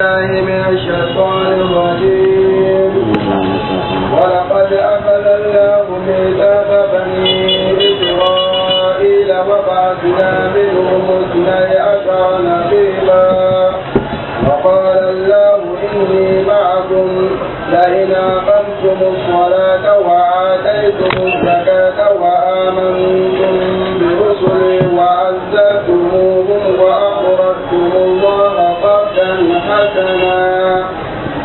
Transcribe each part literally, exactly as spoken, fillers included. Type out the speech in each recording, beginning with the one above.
بالله من الشيطان الرجيم. ولقد أخذ الله ميثاق بني إسرائيل وبعثنا منهم اثني عشر نقيبا. وقال الله إني معكم لئن أقمتم الصلاة وآتيتم الزكاة وآمنتم برسلي وعزرتموهم وأقرضتم الله قرضا حسنا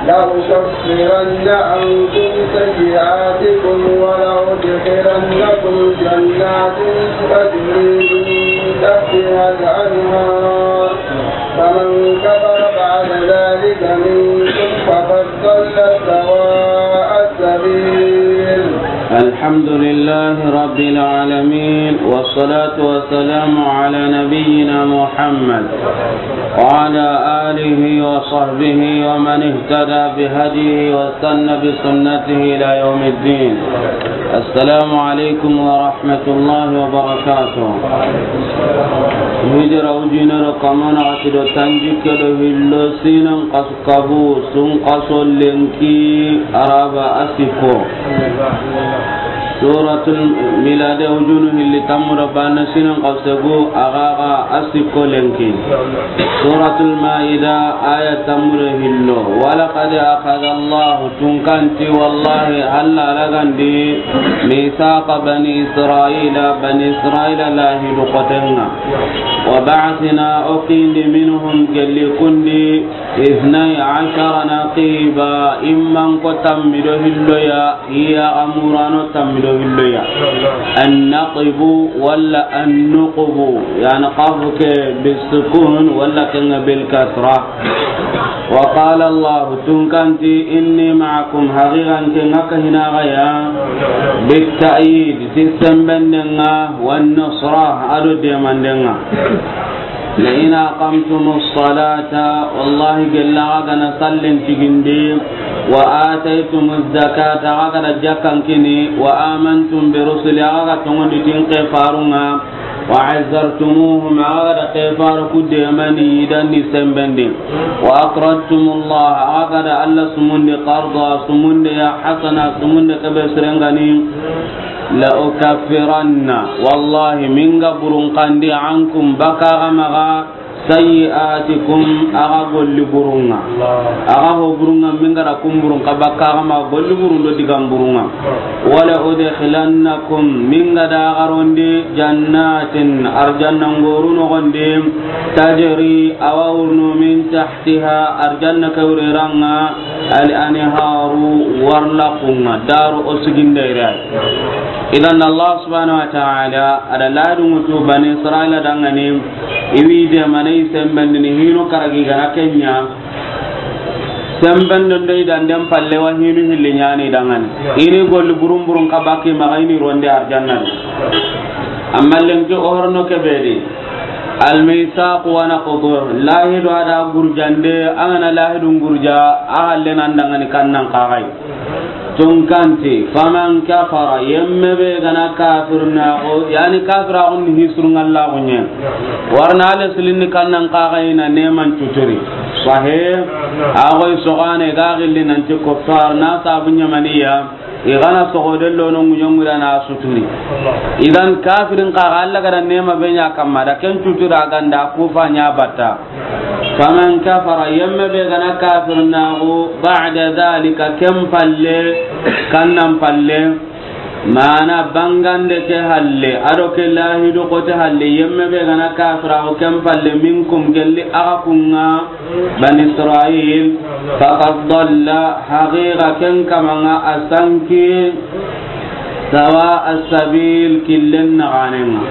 لأكفرن عنكم سيئاتكم ولأدخلنكم جنات تجري من تحتها الأنهار فمن كفر بعد ذلك منكم فقد ضل سواء السبيل. الحمد لله رب العالمين، والصلاة والسلام على نبينا محمد وعلى آله وصحبه ومن اهتدى بهديه واستنى بسنته إلى يوم الدين. السلام عليكم ورحمة الله وبركاته. Hijira ujinero kamana ati do tanjikke do hillo sinan kasu kabu sun kaso lenki araba asiko. Suratul Milade ujunu hilli tamura bana sinan kasu segu agaga asiko lenki. Suratul Maida aya tamura hillo. Walaqad akhadha Allahu Tunkanti wallahi Alla lagandi mithaqa bani Israila, bani Israila lahidu kotenga. Wa ba'athna okindi minhum gelli kundi ithnay ashara naqiba imman ko tammido hilloya iya amurano tammido hilloya. Annaqibu walla annuqubu yani qafu ke bisukun walla kenga bil kasra. Wa qala Allahu tunkanti inni ma'akum haqiqan ke ngaka hinagaya bitta'yid ti sembendenga wan nusra ado demandenga. La in aqamtumus salata wallahi gella gana sallen tigindi wa ataytumuz zakata gana jakkan kini wa amantum bi rusuli gana tongondi tin ke farunga. Wa azzartumuhum, a ga da ke faru ku demani i danni sembendi. Wa aqradtumullah, a ga da Alla sumundi qarda, sumundi ya hasana, sumundi ke be sirengani. La ukaffiranna, wallahi, minga burun kandi ankum baka ga maga, sayyi'atikum, a ga golli burunga. A ga ho burunga, minga da kum burun ka baka ga maga golli burun do digam burunga. Wala udkhilannakum, minga da garondi jannatin, arjanna ngoru nogondi, tajri, awa wurnu min tahtiha, arjanna kawriranga, al anharu, warlakunga, daru osiginde irai. Idan Allah subhanahu wa ta'ala ada ladu mutu bani Israila dangani, iwi de manai sembendini hinu karagi gana kenya. Semben don dai dan den palle wa hinu hilli nyani dangani. Ini golli burun burun ka baki maga ini ronde arjanna. Amma lenki ohorno kebedi. Al misaq wa naqdu. Lahidu ada gurjande, angana lahidu gurja, a halle nan dangani kannan kagai. Tunkanti, faman kafara, yemme be gana kafirna ko, yani kafira kun hisrun Allah kunye. Warna ale silin kannan kagai na neman tuturi. Sahe, agoy sogane ga gilli nanti kuffar na sabu nyamaniya, i gana sogo de lono ŋuɲo ŋuda na suturi. Idan kafirin kaga Allah gada nema be ɲa kamma da ken tutura ganda kufa ɲa batta. Faman kafara, yemme be gana kafirnaxu, ba'da dhalika, ken palle, kannan palle, Mana bangande ke halle, ado ke lahidu kote halle, yemme be gana kafira o ken palle, minkum gelli aga kunga, Bani Israil, faqad dalla, haqiqa ken kamanga a sanki, sawa as-sabil, killen naganenga.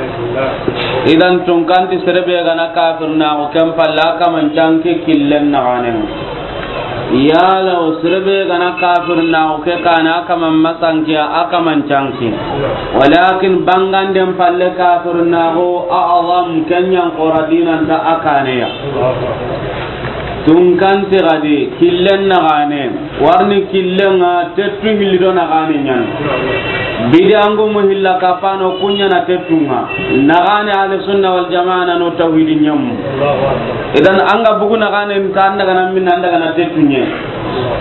Idan tunkanti sere be gana kafirna o ken palle, a kaman canki killen naganenga. Yala o sere be gana kafirnaxu ke kana a kaman masankiya a kaman canki. Walakin banganden palle kafirnaxu a azam kenyan xora dinanta a kaneya. Tunkanti gadi killen naxane warni killenga tettu hilli do naxane ɲan. Bidiyangu mu hilla kapano kunya na tettunga. Nagane ahli sunna wal jamaa na no tawhidi nyam. Idan an ga bugu nagane nta an daga na min an daga na tettunye.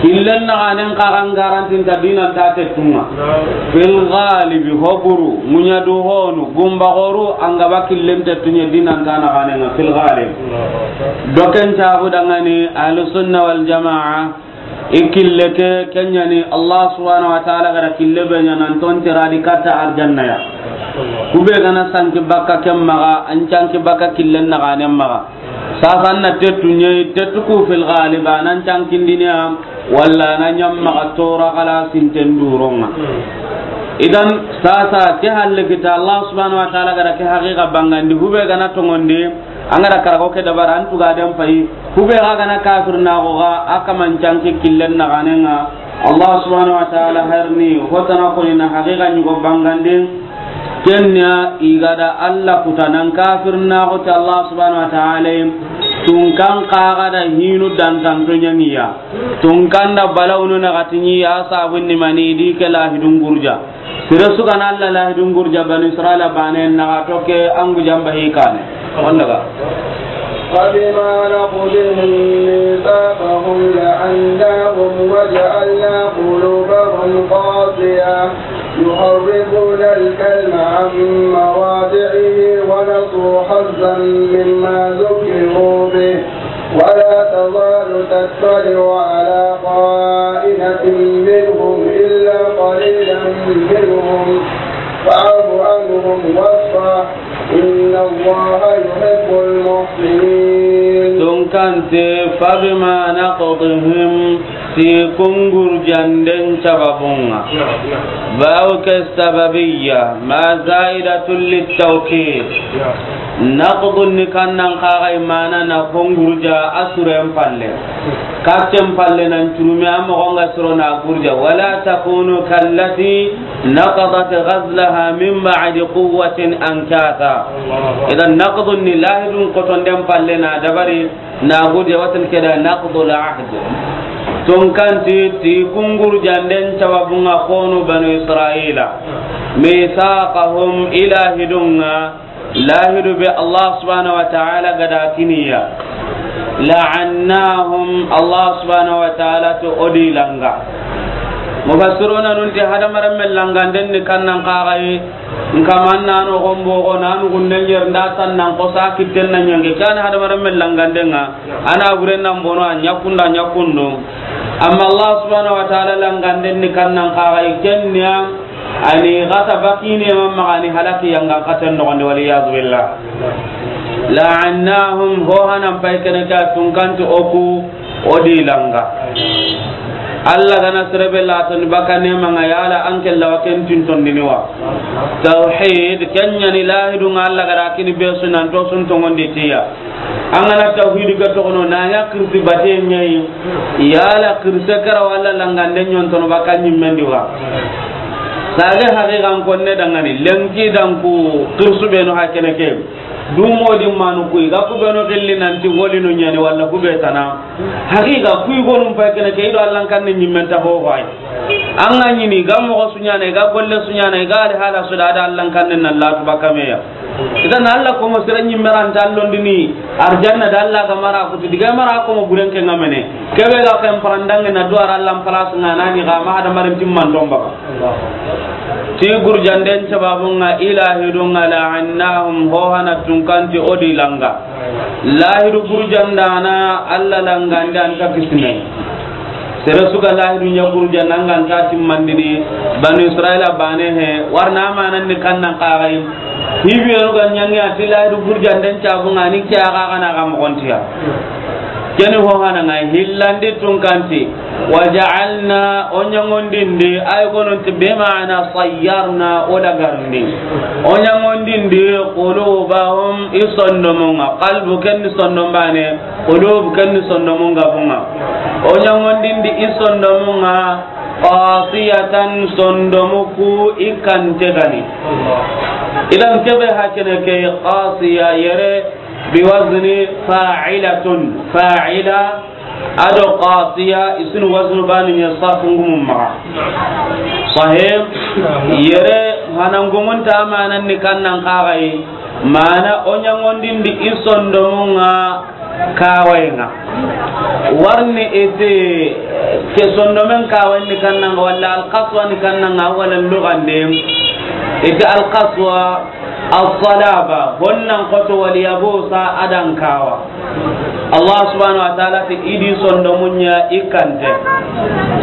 Killen nagane nka an garanti nta dina nta tettunga. Fil ghalibi hoburu, munya du honu, gumba goru, an ga ba killen tettunye dina nta nagane nga fil ghalib. Doken tabu dangani ahli sunna wal jamaa. I kille ke, ken ɲa ni Allah subhanahu wa ta'ala ga da kille be ɲa nan ton tera di katta arjanna ya. Ku be ga na sanki bakka ken maxa, an canki bakka killen naxanen maxa. Sasa an na tettu ɲa, tettu ku fil ghalib, a nan cankindini ya, walla a na ɲa maxa tora xala sinten duronga. Idan, sasa ke halle kita Allah subhanahu wa ta'ala ga da ke haqiqa bangandi, ku be ga na tongondi, An ga da karago ke dabari, an tuga den fayi. Ku be ga ga na kafir na go ga, a kaman canki killen naxanen ŋa. Allah subhanahu wa ta'ala harni, hotana koni na haqiqa ɲugo bangandin. Kenya i ga da Allah kutanan kafir na go ta Allah subhanahu wa ta'ala. Tun kan xa ga da hinu dantanto ɲa ni ya. Tun kan da balawunu na ga ti ni ya sabun ni mani di ke lahidun gurja. Sere su ga na Allah lahidun gurja Banu Israila bane na ga toke an gujan ba hikane. Wanda ga. فبما نقضهم ميثاقهم لعناهم وجعلنا قلوبهم قاسية يحرفون الكلم عن مواضعه ونسوا حظا مما ذكروا به ولا تزال تطلع على خائنة منهم إلا قليلا منهم فاعف عنهم واصفح إن الله يحب المحسنين. Tun kan ti, فبما نقضهم, ti kun gurjanden sababun ŋa. Naam, naam. Bawo ke sababiyya, ma za'idatun littawkid. Naam. Naqdun ni kannan xa ga i mana na kun gurja a suren palle. Katten palle nan curumi a moxo ŋa siro na gurja. ولا تكونوا كالتي نقضت غزلها من بعد قوة أنكاثا. Idan naqdun ni lahidun kotonden palle na dabari na gurja watan ke da naqdul ahd. Tun kan ti, ti kun gurjanden sababun ŋa konu Banu Israila. Mithaqahum, i lahidun ŋa, lahidu be Allah subhanahu wa ta'ala ga da kini ya. La'annahum, Allah subhanahu wa ta'ala to o di langa. Mufassiruna nun ti hadamaren me langanden ni kannan xa ga yi, nkaman na no gombo go na nu gunden yer nda sannan ko sa kitten na ɲange kan hadamaren me langanden ŋa, a na buren nan bono a ɲa kunda ɲa kundu. Amma Allah subhanahu wa ta'ala langanden ni kannan xa ga yi kenya, ani gata bakine mamma ani halaki yanga katen no gonde, wal iyadu billah. La'annahum, ho hanan pay kene ka tun kan ti o ku o di langa. Allah ga na sere be la ton bakane manga yala an ke la wa ken tin ton dini wa. Tawhid, kenya ni lahidun ŋa Allah ga da kini be sunan to sun tongondi tiya. An ga na tawhidi ga toxono, na ɲa kirsi bate ɲa yi. Yala kirse kara walla langande ɲontono baka ɲimmen di wa. Sage haqiqan konne dangani, lenki danku kirsu be no hakene ke. Dumo di manu kuyi, ga ku be no gilli nanti woli no ɲani walla ku be tana. Haqiqa kuyi gonum pay kene ke i do Allan kanne ɲimmen ta ho ho ay. An ga ɲini, ga moxo su ɲana, ga golle su ɲana, ga ali hala su da, da Allan kanne na latu baka me ya. Idan Allah ko mo sere ɲimme ra nta londini arjanna da Allah ga mara kuti diga mara ko mo buren ke ŋa mene. Kebe ga ken parandange na duwara Allah place ŋa na ni ga ma hada marin timman don baka. Ti gurjanden sababun ŋa i lahidun ŋa la'annahum, ho hana tun kan ti o di langa. Lahidu gurjandana Allah langande an ta kisne. Sere su ga lahidu ɲa gurjanda an ga nta timmandini, Banu Israila bane he, warna amanan ni kannan xa ga yi. Hibiyanu ga ɲangi a ti lahidu gurjanden cabun ŋa ni ke a ga ga na ga moxontiya. Keni ho hana ŋa hillandi tun kan ti, wa ja'alna, o ɲangondindi, ay gononti be ma'ana sayyarna, o dagarndi. O ɲangondindi, qulubahum, i sondomun ŋa, qalbu ken ni sondon bane, Qulub ken ni sondomun gabun ŋa. O ɲangondindi i sondomun ŋa, qasiyatan, sondomu ku i kante gani. Idan kebe hakene ke qasiya yere bi wazni fa'ilatun. Fa'ila A do qasiya, i su ni waznu baane ɲa sarfu ngumun maxa. Sahih. Yere, hanan gumun ta manan ni kannan kaxayi. Mana o ɲaŋondindi i sondomun ŋa kawayen ŋa. Warni i ti ke sondomen kawayen ni kannan ŋa, walla alqaswa ni kannan ŋa, walla lugande. I ti alqaswa, as-salaba, honnan xoto, wal yabusa, a dan kawa. Allah subhanahu wa ta'ala ti i di sondomun ɲa i kante.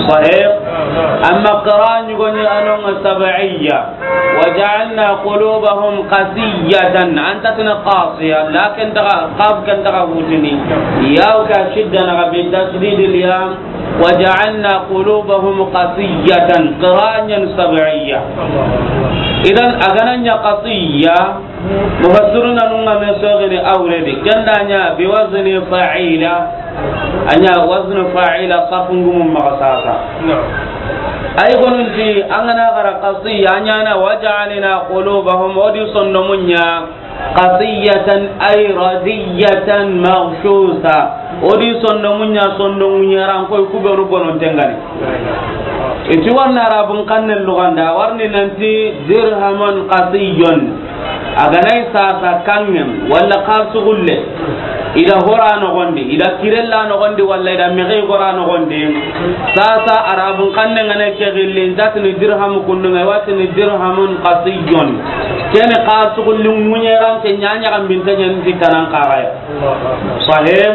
Sahih. Amma qira ɲugo ɲa a no ŋa sab'iyya. Wa ja'alna qulubahum qasiyatan. Anta tini qasiya, lakin taga, qaf kan taga hutini. Ya ka shidda na bi tasdidil ya. Wa ja'alna qulubahum qasiyatan. Qira ɲa ni sab'iyya. Idan a ga na ɲa qasiya. Mufassiruna nun ŋa me sogini awredi, ken da ɲa bi wazni fa'ila, a ɲa wazni fa'ila, sarfu ngumun maxa sasa. Na'am. Ay gonunti, an ga na xara qasiya, a ɲa na wa ja'alna qulubahum, o di sondomun ɲa, qasiyatan ay radiyatan maghshusa. O di sondomun ɲa, sondon ɲeran koy, ku beenu bononten ga ni. I ti warni Arabun xannen luganda, warni nanti dirhamun qasiyyun. A ga na i sasa kanŋen, walla xalisugulle. I da hora noxondi, i da kirella noxondi, walla i da mexi gora noxondi. Sasa Arabun xannen ga na ke gilli, i nta tini dirhamu kundu ŋa, i wa tini dirhamun qasiyyun. Ken ni xalisugulle ŋuɲeran ke ɲa ɲaxambinte ɲa ni ti tanan kaxaya. Sahih.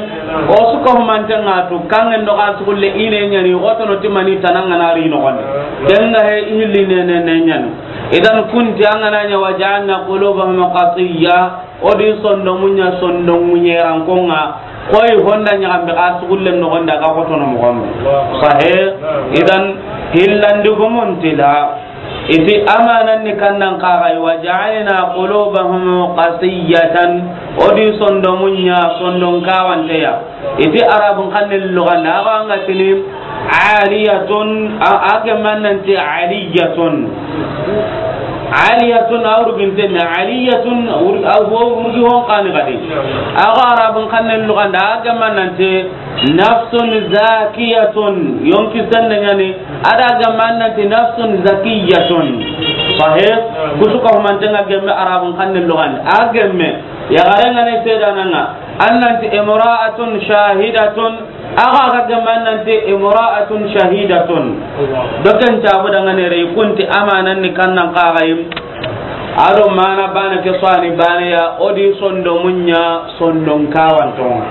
O su ka humanten ŋa tu, kanŋen do xalisugulle i ne ɲa ni, xotono ti mani tanan ga na ri noxondi. Ken ga he i hilli ne ne ne ɲa ni. Idan kunti an ga na ɲa wa ja'alna qulubahum qasiyya, o di sondomun ɲa sondon ŋuɲeran kon ŋa, koy honda ɲaxambe xalisugulle noxondi a ga xotono moxo be. Sahih. Idan hillandi gumun ti da. I ti amanan ni kannan kaxayi, wa ja'alna qulubahum qasiyatan, o di sondomun ɲa sondon kawanteya. I ti Arabun xannen luganda, a ga ŋa tini aliyatun, a, a ke mananti aliyatun. Aliyatun, a wurginten ni, aliyatun, a wur-, a wo-, wurgi hon kani gadi. A ga Arabun xannen luganda, a ke mananti nafsun zakiyatun, yonki sende ɲa ni, a da ga mananti nafsun zakiyatun. Sahih. Kusu ka humanten ŋa gemme Arabun xannen luganda. A gemme, yaxaren ga ne seedanan ŋa, an nanti imra'atun shahidatun, a ga ga gemme an nanti imra'atun shahidatun. Do ken cabu da ŋa ne re kunti amanan ni kannan kaxayi. A do mana baane ke sani baane ya, o di sondomun ɲa sondon kawanton ŋa.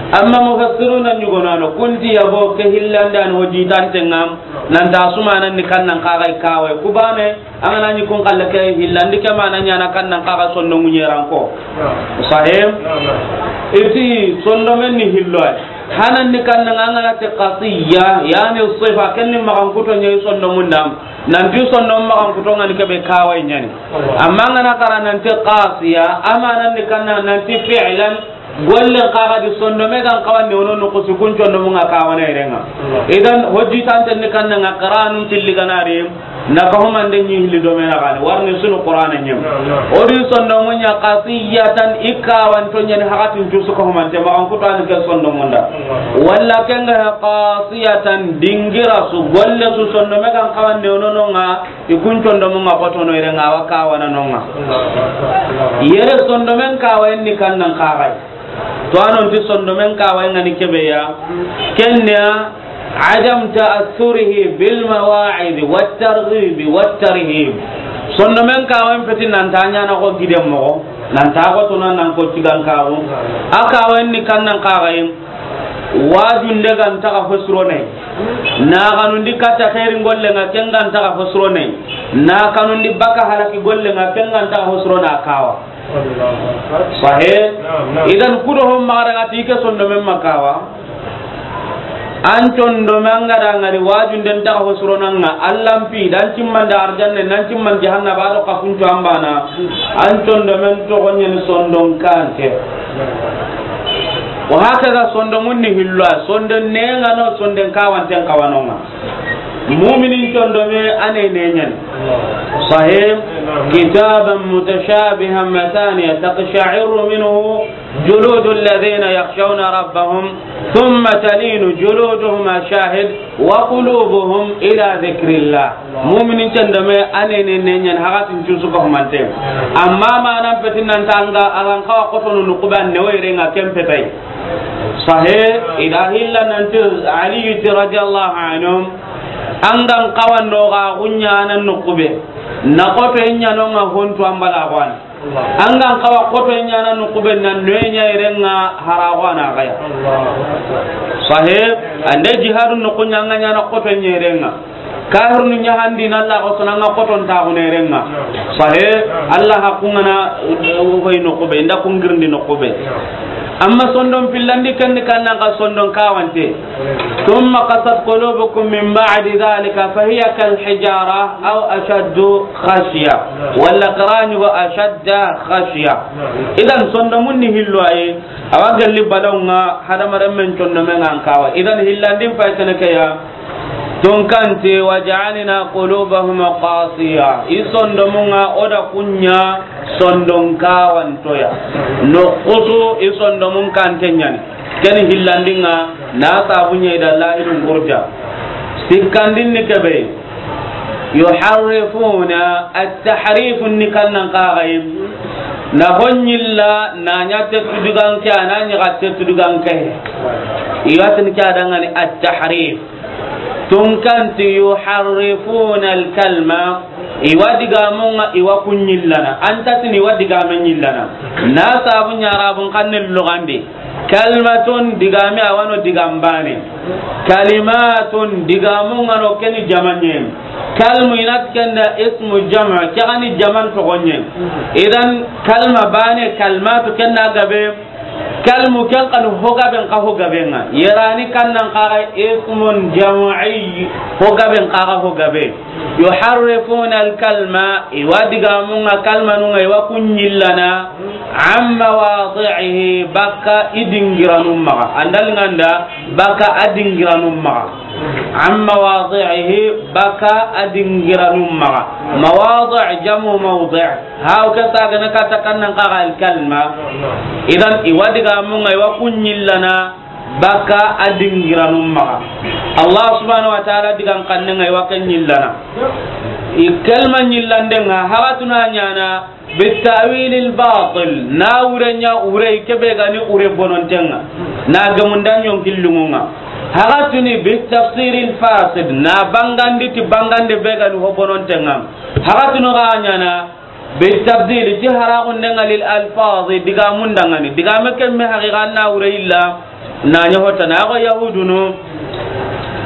Amma mufassiruna ɲugono no, kunti yabo ke hillandan ho jitanten ŋa, nan ta su manan ni kannan kaxayi kawai. Ku baane, an ga na ɲi kun xalle ke hillandi ke mana ɲa na kannan kaxa sondon ŋuɲeran ko. Sahih. I ti sondomen ni hillo ay. Hanan ni kannan ŋa an ga na ti qasiyya, yani sifa, ken ni maxan kuto ɲa i sondomun da. Nanti sondon maxan kuto ŋa ni ke be kawai ɲa ni. Amma an ga na xara nanti qasiya, amanan ni kannan nanti fi'lan, gollen kaxa di sondome ga n xawa ne wono noxusi kun condomun ŋa kawana yere ŋa. Idan hojji tanten ni kannan ŋa, qira'anun filli ga na ri, na ka humande ɲi hilli do me na gani, warni su ni Qur'ana ɲem. O di sondomun ɲa qasiyatan, i kawanto ɲa ni hakatin cu su ka humante, maxan kuto a ni ke sondomun da. Walla ken ga qasiyatan, dingira su, golle su sondome ga n xawa ne wono no ŋa, i kun condomun ŋa xotono yere ŋa, a wa kawana no ŋa. Yere sondomen kawayen ni kannan kaxayi. To a non ti sondomen kawayen ŋa ni ke be ya. Ken ya, adam ta'assurihi bil mawa'id wat targhib wat tarhib. Sondomen kawayen feti nan ta ɲa na ko giden moxo, nan ta xotono nan ko tigan kawo. A kawayen ni kannan kaxayi. Wajunde ga nta xa fo sirone. Na xanundi katta xeerin golle ŋa, ken ga nta xa fo sirone. Na xanundi baka halaki golle ŋa, ken ga nta xa fo sirone a kawa. Sahih. Idan kudo hon maxa daga ti ke sondomen ma kawa. An condomen ga da ŋari wajunde nta xa fo sirona ŋa, Alla mpi dan cimman da arjanne, nan cimman jahannaba do xa kuncu an bana. An condomen toxo ɲa ni sondon kante. Wa hakaza sondomun ni hillo a, sonden ne ŋa no, sonden kawanten kawano ŋa. Muminin condome a ne ne ɲani. Sahih. Kitaban mutashabihan mathaniya taqsha'irru minhu juludu alladhina yakhshawna rabbahum thumma talinu juluduhum, a shahid, wa qulubuhum ila dhikrillah. Muminin condome a ne ne ne ɲani, hakatin cusu ko humante. Amma manan petin nan tanga alan kawa kotonu nukuban ne wayrenga ken petai. Sahih. Ida hilla nanti Ali ti radiyallahu anhu, an gan kawa noga gunya nan nukube, na koto ɲanonga hontu ambala gwan. An gan kawa koto ɲana nukube nan noye ɲa irenga harago ana gaya. Sahih. Ande jihadu nukunya nga ɲana koto ɲa irenga. Kahirnu ɲahandi na Allah ko sonanga koton taxunerenga. Sahih. Allah hakungana, uh, hoy nukube, inda kungirndi nukube. Amma sondon pillandi kenni kannan ka sondon kawante. Thumma qasat qulubukum min ba'di dhalika fahiya kal hijara aw ashaddu khashya. Walla qirani wa ashadda khashya. Idan sondomun ni hillo aye. Awa galli balawnga hadamaren men condomen an kawa. Idan hillandin pay kene keya. Tunkanti, "Wa ja'alna qulubahum qasiya." I sondomunga oda kunya sondon kawantoya. Nokutu i sondomun kante ɲani. Ken hillandinga na sabunya ida lahidun gurja. Sikkandin ni kebe. Yuharrifuna, at-tahrif ni kannan kaxayi. Na honyilla na ɲa tettu diganke, a na ɲaxa tettu diganke. Iwatin ke adangani at-tahrif. Tunkanti yuharrifuna al-kalma, iwa digamunga iwa kunyillana. Antatini iwa digame nyillana. Na sabu ɲarabun kanne lugandi. Kalmatun digame awano digambane. Kalimatun digamungano keni jamanye. Kalmu inat kenda ismu jama, kegani jaman togonye. Idan kalma bane, kalmatu kenda gabe. Kalmu ken kanu hogaben ka hogabenga. Yerani kannan kaga ismun jam'i, hogaben kaga hogabe. Yuharrifuna al-kalma, iwa digamunga kalmanunga iwa kunyillana, amma wadi'ihi, baka idingiranumma. Andal nganda, baka adingiranumma. Amma wadi'ihi, baka adingiranumma. Mawadi' jamu mawdi'. Haw ke sagana kata kannan kaga al-kalma. Idan iwa digamunga iwa kunyillana baka adingiranumma. Allah subhanahu wa ta'ala digan kannenga iwa kunyillana. I kalma nyillandenga hagatuna nyana bitawil al-batil, na urenya ure kebe gani ure bonontenga. Na gamundan yon killungunga. Hagatuni bitafsir al-fasid, na bangandi ti bangande be gani ho bonontenga. Hagatunu ga nyana Bitabdil, ti haraxundenga lil alfazi, digamundangani. Digame kemme haqiqa na wure illa, na ɲa hotana. Ago yahudunu,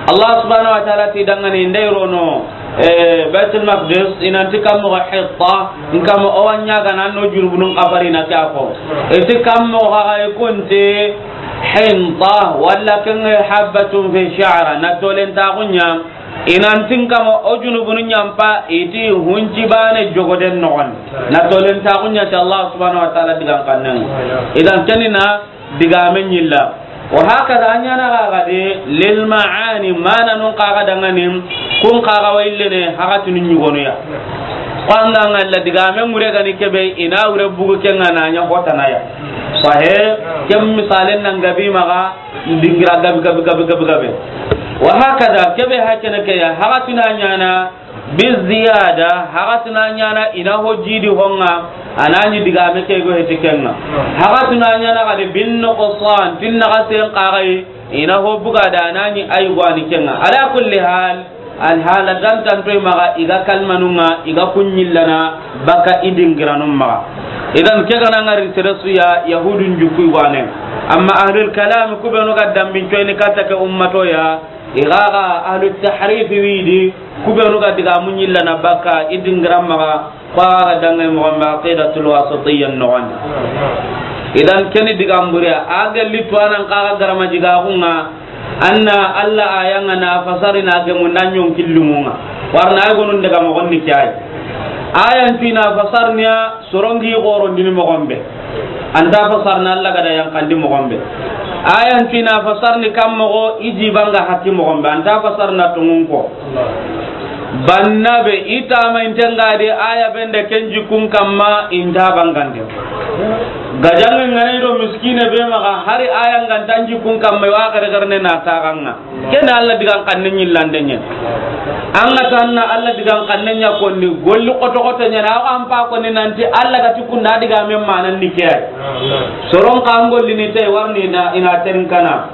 Allah subhanahu wa ta'ala ti dangani, ndey rono, eh, Baitul Maqdis, inanti kammo ga Hitta, nkamo owa ɲaga nan no jurubunun kafarina kafo. Iti kammo ga ga ikunti Hinta, walla kenge habbatun fi sha'ra, na tolen taxunya. Inantin kama o junubunu ɲampa, iti hunci bane jogoden noxon. Na tolen taxu ɲa ti Allah subhanahu wa ta'ala digan kannen. Idan kenina digame ɲilla. Wa hakada a ɲana ga gade lil ma'ani, mana nun kaga dangani, kun kaga wa illene hakatunu ɲugonuya. Ko anga ngalla digame ŋure gani kebe, ina wure bugu kenga na ɲa hotanaya. Sahe, kem misalen nan gabi maga, dingira gabi, gabi, gabi, gabi, gabi. Wa hakada, kebe hakene ke ya, hagatuna ɲana, bi ziyada, hagatuna ɲana, ina ho jidi honga, anani digame ke go heti kenga. Hagatuna ɲana gade bin nuqsan, tin naga sen kagai, ina ho buga da anani ay gwani kenga. Ala kulli hal, Alhala dantantoy maga, iga kalmanunga, iga kunyillana, baka idingiranun maga. Idan ke gana ngari teresuya, yahudun jukui wane. Amma ahlul kalam kubenu ga dambin coyni kata ke ummato ya, iga ga ahlut tahrif widi, kubenu ga diga munyillana baka idingiran maga, Ko a ga dange moxo be, Aqidatul Wasitiyya noxon di. Idan keni digan buriya, a gelli tuwanan kaga garama jigaxunga, anna Allah ayanga na fasari na gemu na ɲonkillumunga. Warna ay gonun daga moxon ni kiyai. Ayan tu ina fasarniya sorongi xoron dini moxon be. Anta fasarna Allah gada yankandi moxon be. Ayan fina fasarni kam moxo, i jibanga hakki moxon be, anta fasarna tungun ko. Banna be, i tama intengadi aya bende ken jikun kamma, inta bangande. Gajange ngane do miskine be maxa, hari aya ngantan jikun kamma, wa gare gare ne na taxanga. Ken Allah digan xanne ɲillande ɲen. An ga tanna Allah digan xanne ɲa konni, golli xoto xoto ɲa na, an pa konni nanti Allah ga ti kunda diga men manan ni ke ay. Soron ka an golli ni tay warni na ina terin kana.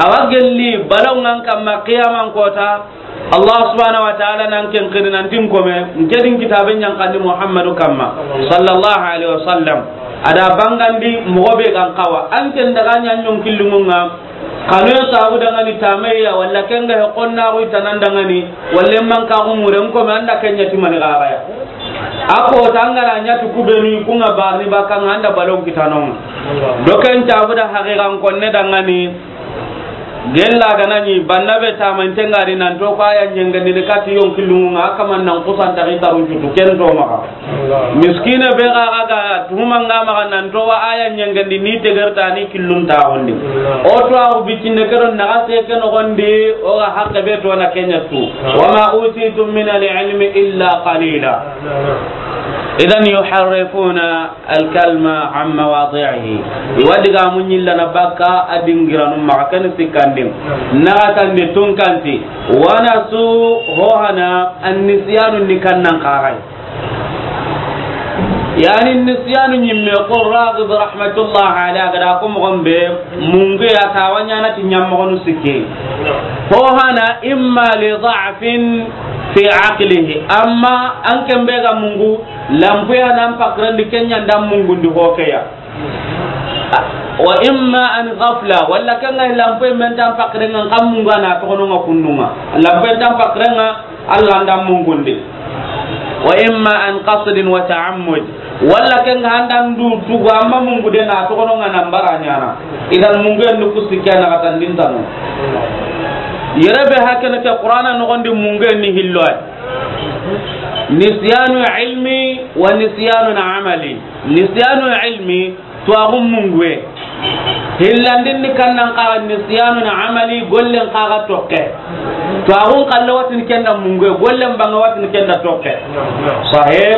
Awa gelli balaw ngan kamma qiyaman kota. Allah subhanahu wa ta'ala nan ken kiri nan tin kome, nke din kitabe ɲan kandi Muhammadu kamma, sallallahu alaihi wasallam. Ada bangandi moxo be gan xawa. An ken daga ɲan ɲon killumunga. Kanu ya sabu dangani tameya, walla ken ga he qonna ru tanan dangani, walla man ka umuren ko me anda ken ɲa ti mani gaga ya. Ako tangara ɲa ti kubenu kunga barni bakanga anda balon kitanonga. Do ken tabu da haqiqan konne dangani. Gella gana ɲi banna be tamante ngari nan to ko aya ɲengandi de kati yon killumunga, a kaman nan kusan tari tarun cutu ken do maxa. Miskine be ga ga ga tuhuma nga maxa nan to wa aya ɲengandi ni tegerta ni killun ta hondi. O to a bitinde kedo na ga se ken gondi o ga hakke be to na kenya tu. Wa ma utitum min al-ilmi illa qalila. Idan yuharrifuna al-kalima an mawadi'ihi. I wa digamu ɲillana bakka a dingiranu maxa ken sikkandin. Naxatandi tunkanti. Wa nasu hohana an-nisyanu ni kannan xaxay. Yani nisyanu ɲimme ko Raghib rahmatullah alayhi a ga da ko moxon be mungu ya tawa ɲana ti ɲammoxonu sikke. Hohana imma li da'fin fi aqlihi. Amma an ken be ga mungu, lampuya nan pakrandi kenya nda mungundi hokeya. Wa imma an ghafla, walla kanga lampuya men tan pakrenga kan mungu na toxononga kundunga. Lampuya tan pakrenga Allah nda mungundi. Wa imma an qasdin wa ta'ammud, walla kanga andan du tugu amma mungude na toxononga nan bara ɲana. Idan mungu en du kusi kena katandin tanu. Yere be hakene ke Qur'ana noxondi mungu en ni hillo ay. Nisyanu ilmi wa nisyanu amali. Nisyanu ilmi, tuwaxun munguwe. Hillandin ni kannan xaxa nisyanu amali, gollen xaxa tokke. Tuwaxun xalla watini kenda munguwe, gollen banga watini kenda tokke. Sahih.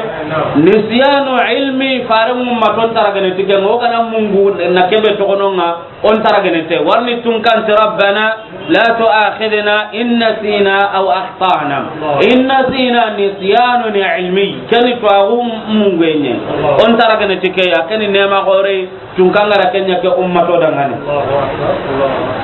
Nisyanu ilmi, fare mumma ton taragane tike, ngo kana mungu na kebe toxononga. On taragene te, warni tunkanti, Rabbana la tu'akhidhna in nasina aw akhtana. In nasina nisyanun ilmi. Keni tuwaxu munguenye. On taragene ti ke ya, keni nema gore, tunkangara kenya ke ummato dangane.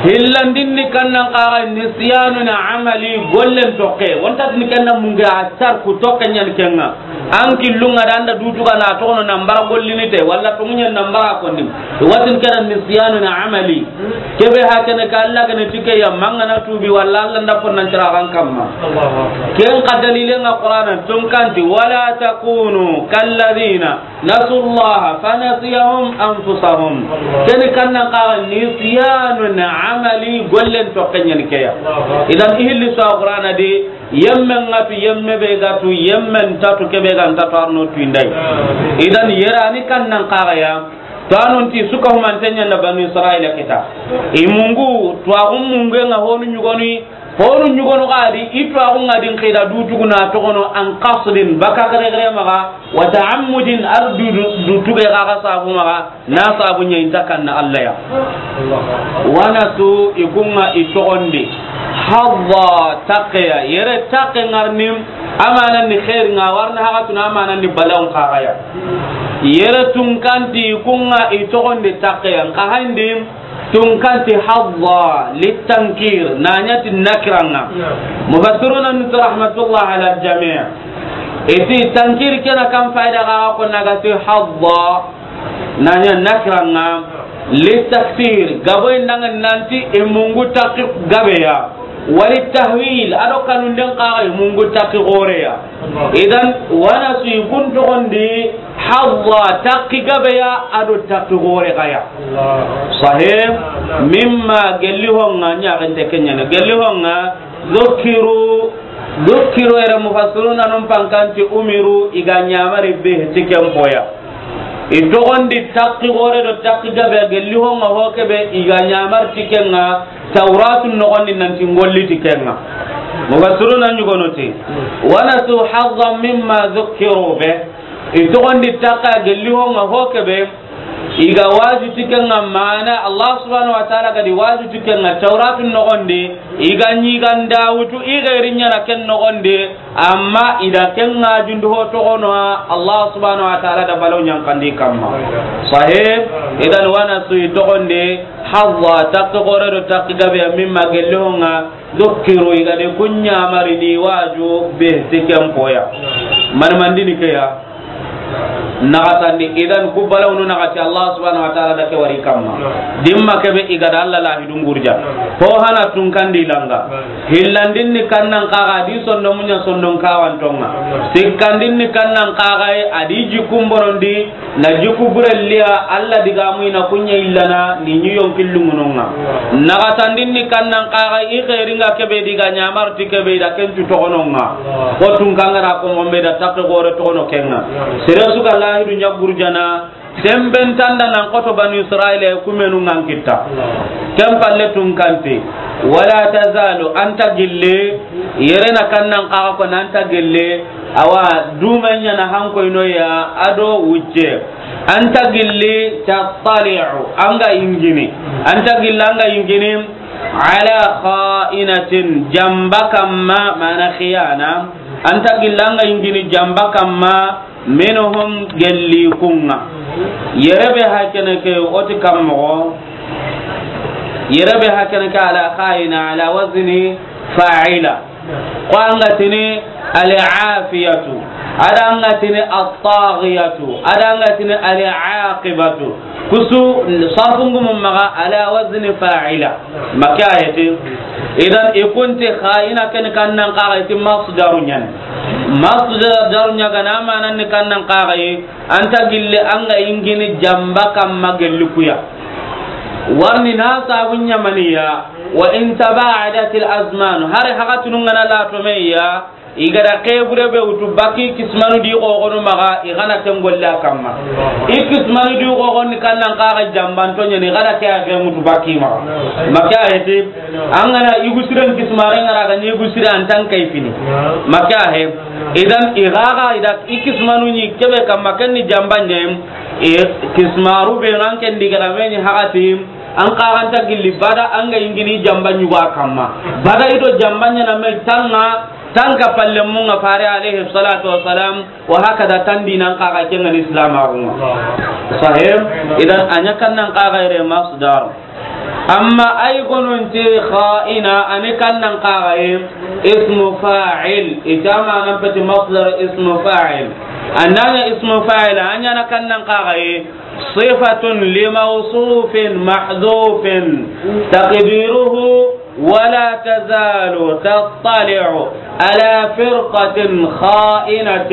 Hillandin ni kannan xaxa nisyanun amali, gollen tokke. On tatini kenna mungu a tar ku tokke ɲan kenga. An killunga da anda dutuga na toxono nan bara gollini te, walla toŋuɲen nan bara konni. Watin keda nisyanu na amali. Kebe hakene ka Allah gane tike ya manga na tubi walla Allah nda fon nan tira kan kamma. Ken ka dalile nga Qur'ana tunkanti, wala takunu kalladhina nasullaha fanasiyahum anfusahum. Keni kannan xaxa nisyanu na amali, gollen tokke ɲan keya. Idan ihilli sa Qur'ana de, yemme nga tu, yemme be ga tu, yemme nta tu, kebe ga nta tu, arno tu indai. Idan yerani kannan xaxa ya, to anon ti suka humante ɲanda Banu Israila kita. I mungu, tuwaxun mungu nga honu ɲugoni, honu ɲugonu gadi, i tuwaxu nga din xida du tuguna toxono an qasdin, baka gare gare maxa, wa ta'ammudin, ar du, du, du tuge xaxa sabu maxa, Na sabu ɲa inta kanna Allah ya. Wana su ikunga itoxondi. Hadda taqeya. Yere taqe ngarni amana ni khair nga warna haga tuna amana ni balaw xaxaya. Yere tunkanti ikunga itoxondi taqeya. Nka handi tunkanti hadda litankir. Nanyati nakiranga. Mufassiruna nti rahmatullah ala al-jami'. Iti tankir kena kan faida ga ko nagati hadda. Nanya nakiranga li takthir, gabo indanga nanti e mungu taqi gabeya. Wali tahwil, ado kanunden kaga e mungu taqi goreya. Idan wana su ikun toxondi hadda taqi gabeya, ado taqi gore gaya. Sahih. Mimma gelli honga ɲaxente kenyana. Gelli honga dhukiru, dhukiru ere mufassiruna num pankanti umiru iga ɲamari be tiken boya. I toxondi taqi xoore do taqi gabe a gelli ho ŋa ho kebe i ga ɲamari ti ke ŋa, Tawratu noxondi nanti n golli ti ke ŋa. Mufassiruna ɲugono ti, wa nasu hazzan mimma zukkiru be. I toxondi taqi a gelli ho ŋa ho kebe i ga waju ti ke ŋa, mana Allah subhanahu wa ta'ala ga di waju ti ke ŋa Tawratu noxondi, i ga ɲi ga nda wutu i xeeri ɲaana ken noxondi. Amma i da ken ŋa jundu ho toxono, Allah subhanahu wa ta'ala da balaw ɲankandi kamma. Sahih. Idan wa nasu i toxondi hazza taqi xoore do taqi gabe ya mimma gelli ho ŋa zukkiru i ga de ku ɲamari ni waju be ti ken poya. Man mandini ke ya. Naxatandi, idan ku balawnu naxati Allah subhanahu wa ta'ala da ke wari kamma. Dimma kebe i ga da Allah lahidu ngurja. Ho hana tunkandi langa. Hillandin ni kannan kaga di sondo munya sondon kawantonga. Sikkandin ni kannan kaga a di jikun borondi na jiku burelliya Allah digamu ina kunya illana ni nyi yonkillungunonga. Naxatandin ni kannan kaga i xeeringa kebe diga ɲamari ti kebe i da kencu toxononga. Ko tunkangara ko mombe da taqi xoore toxono kenga. Sere su ga lahidu ɲa gurjana. Semben tanda nan xoto Banu Israila kumenu ŋa n kitta. Ken palle tunkante. Wala tazalu, anta gille, yere na kannan kaga ko nanta gille, awa duma ɲaana hankoyno ya ado wucce. Anta gille tattali'u, anga ingini. Anta gille anga ingini ala kha'inatin, jamba kamma, mana khiyana. Anta gille anga ingini jamba kamma, minhum, gelli kunga. Yere be hakene ke oti kammogo. Yere be hakene ke ala khayina ala wazni fa'ila. Ko anga tini al-afiyatu. Ada anga tini at-taghiyatu. Ada anga tini al-aqibatu. Kusu sarfungu maga ala wazni fa'ila. Maka ayati. Idan ikunti khayina ken kannan kaga iti masdaru ɲan. Masdaru ɲaga na manan ni kannan kaga yi. Anta gille anga ingini jamba kamma gelli kuya. Warni na sabun ɲamaniya. Wa in taba'adatil azman. Hari hagatunu ngana la to meya. I ga da xebure be wutu baki kismanu di xoxonu maga, i gana ken golle a kamma. I kismanu di xoxon ni kannan kaga jambanto ɲani, i gana ke a xe mutu baki maga. Maka heti, an gana igu siren kismare ngara ga ni igu sire an tan kay fini. Maka he, idan i gaga i da i kismanu ni kebe kamma ken ni jambanye, i kismaru be ran ken di ga da meni hagati, an kaganta gilli bada an ga ingini jamba ɲugo a kamma. Bada ido jamba ɲana me tanga, tanga palle munga fare alayhi salatu wassalam, wa hakada tandi nan kaga kenga ni islam agunga. Sahih, idan anya kannan kaga ire masdar. Amma ay gononti kha'ina ani kannan kaga e ismu fa'il. Itama nan peti masdar ismu fa'il. Andanya ismu fa'il anya na kannan kaga e صفة لموصوف محذوف تقديره ولا تزال تطلع على فرقة خائنة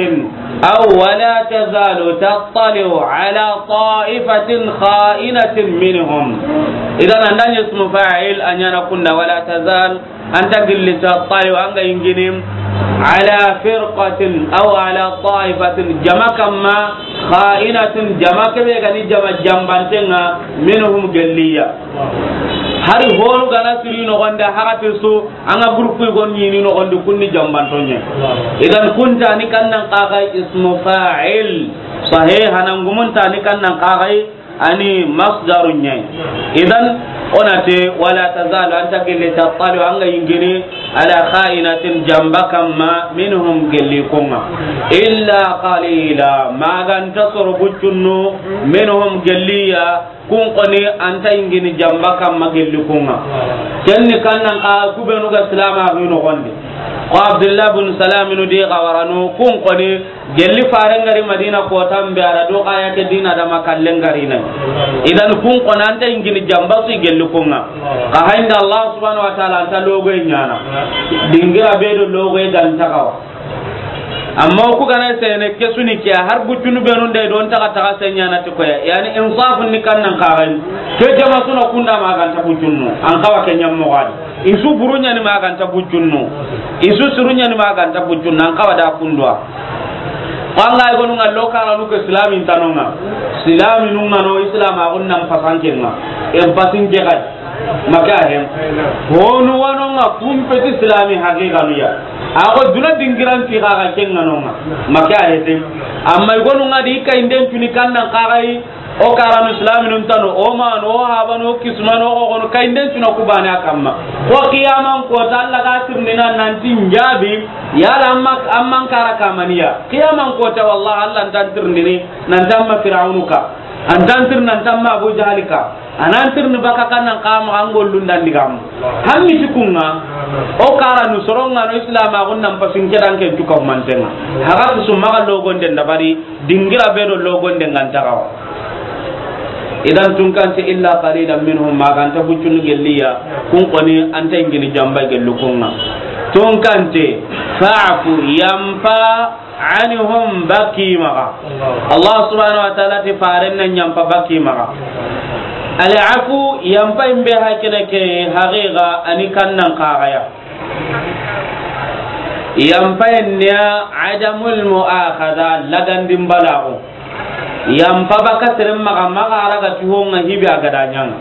أو ولا تزال تطلع على طائفة خائنة منهم. إذن عندنا اسم فاعل أن يكون ولا تزال Anta gilli tattali'u, an ga yingini, ala firqatin aw ala ta'ifatin, jama kamma, kha'inatin, jama kebe ga ni jama jambantenga, minhum, gelliya. Hari honu gana siri nogondi, hagati su, an ga groupe gon ni nogondi, kunni jambantonye. Idan kunta ni kannan kaga ismu fa'il, sahih, hanan gumunta ni kannan kaga ani masdaru ɲa yi. Idan, o na ti, wala tazalu, anta gilli, tattali'u, an ga yingini, ala kha'inatin, jamba kamma, minhum, gelli kunga. Illa qalila, maganta soro buccunnu, minhum, gelliya, kun koni, anta yingini, jamba kamma, gelli kunga. Kenni kannan ka, kubenu ga silama, hino gondi. Ko Abdullah bin Salam nu di gawaranu, kun koni, Gelli faren gari Madina kotan be, a ra do kaya ke dina dama kallen gari na. Idan kun konanta ingini jamba su gelli kunga. Ka haynda Allah subhanahu wa ta'ala anta logo ɲana. Dingira be do logo ganta kawa. Amma ku gana sene ke suni ke har buccunu be nun de don taga taga senyana ti koya. Yani insafun ni kannan kagan. Ke jama suna kunda maganta buccunu. An kawa ke nyammo gadi. Isu buru ɲani maganta buccunnu. Isu suru ɲani maganta buccunnu. An kawa da kundwa. An ga i gonu ŋa lo karanu ke silami ntano ŋa. Silami nu ŋa no islam a gunnan pasanke ŋa. En pasinke kai. Maka hem. Honu wano ŋa kumpeti silami haqiqa nu ya. A ko duna dingiran ti ga ga ken ŋa no ŋa. Maka hete. Amma i gonu ŋa di kai nden tuni kannan kagai. O karanu silaminun tanu, o manu, o habanu, o kismanu, o gogono, kainden tuna kubane a kamma. Ko qiyaman kota, Allah ga tirnina nanti njabi, yala amma, amman kara kamaniya. Qiyaman kota, wallah, Allah ntan tirnini, nanti amma Firaunu ka. Antan tir nanti amma Abu Jahali ka. Anan tirni baka kannan kama an gollun dan digamu. Hammi tikunga, o karanu soronga no islam a gunnan pasinke dan ken tuka mantenga. Haga su maga logon den dabari. Dingira be do logon de nganta gawa. Idan tunkante illa qalilan minhum, maganta buccunu gelliya, kun koni anta ingini jamba gellu kunga. Tunkante, fa'fu, yampa, anhum, baki maga. Allah subhanahu wa ta'ala ti faren nan yampa baki maga. Al afu, yampa imbe hakene ke haqiqa ani kannan kagaya. Yampayen niya adamul mu'akhadha, lagandin balaxu. Yampa baka seren maxa, maxa raga ti honga hibe a gada ñanga.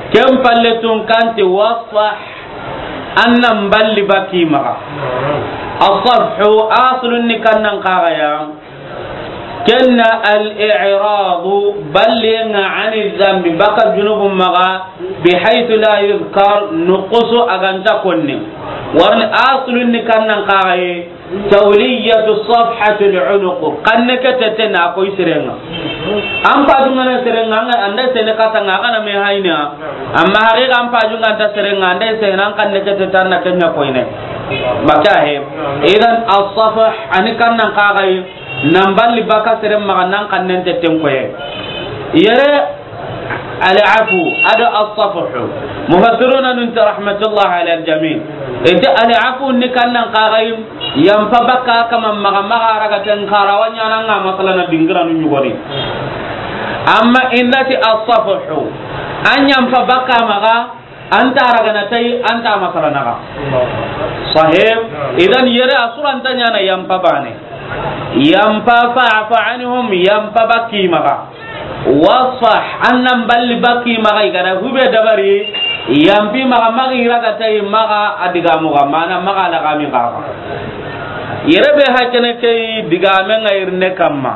Ken palle tun kanti wasfah, an nan balli baki maxa. Asafhu aslun ni kannan kaxaya. Kenna al-i'radu, ballenga ani zambi, baka junubu maxa, bihaythu la yuzkar, nuqusu aganta konni. Warni aslun ni kannan kaxaye, tawliyatu safhati al-unuq, kanne ke tete na koy serenga. An pajungana serenga, anga anda sene katanga, agana me hayna. Amma haqiqa an pajunga anta serenga, anda sene an kanne ke tete na kenya koyne. Maka he. Idan as-safh ani kannan kaxaye. Nan balli baka seren maxa nan kannen tetten koye. Yere al-afu, ado as-safhu. Mufassiruna nun ta rahmatullah ala al-jami'. Ete al-afu ni kannan kaxaye, yampa baka kama maxa, maxa raga ten karawa ñananga masala na dingiranu ñugoni. Amma indati as-safhu, an yampa baka maxa, anta ragana tay, anta masala naga. Sahib. Idan yere asuranta ñana yampa bane. Yampa fa'fu anhum, yampa baki maxa. Wasfah, an nan balli baki maxa, igara hube dabari, yampi maxa, maxa iraga tay, maxa adiga muga, mana maxa lagami kaxa. Yere be hakene ke digame nga irne kamma.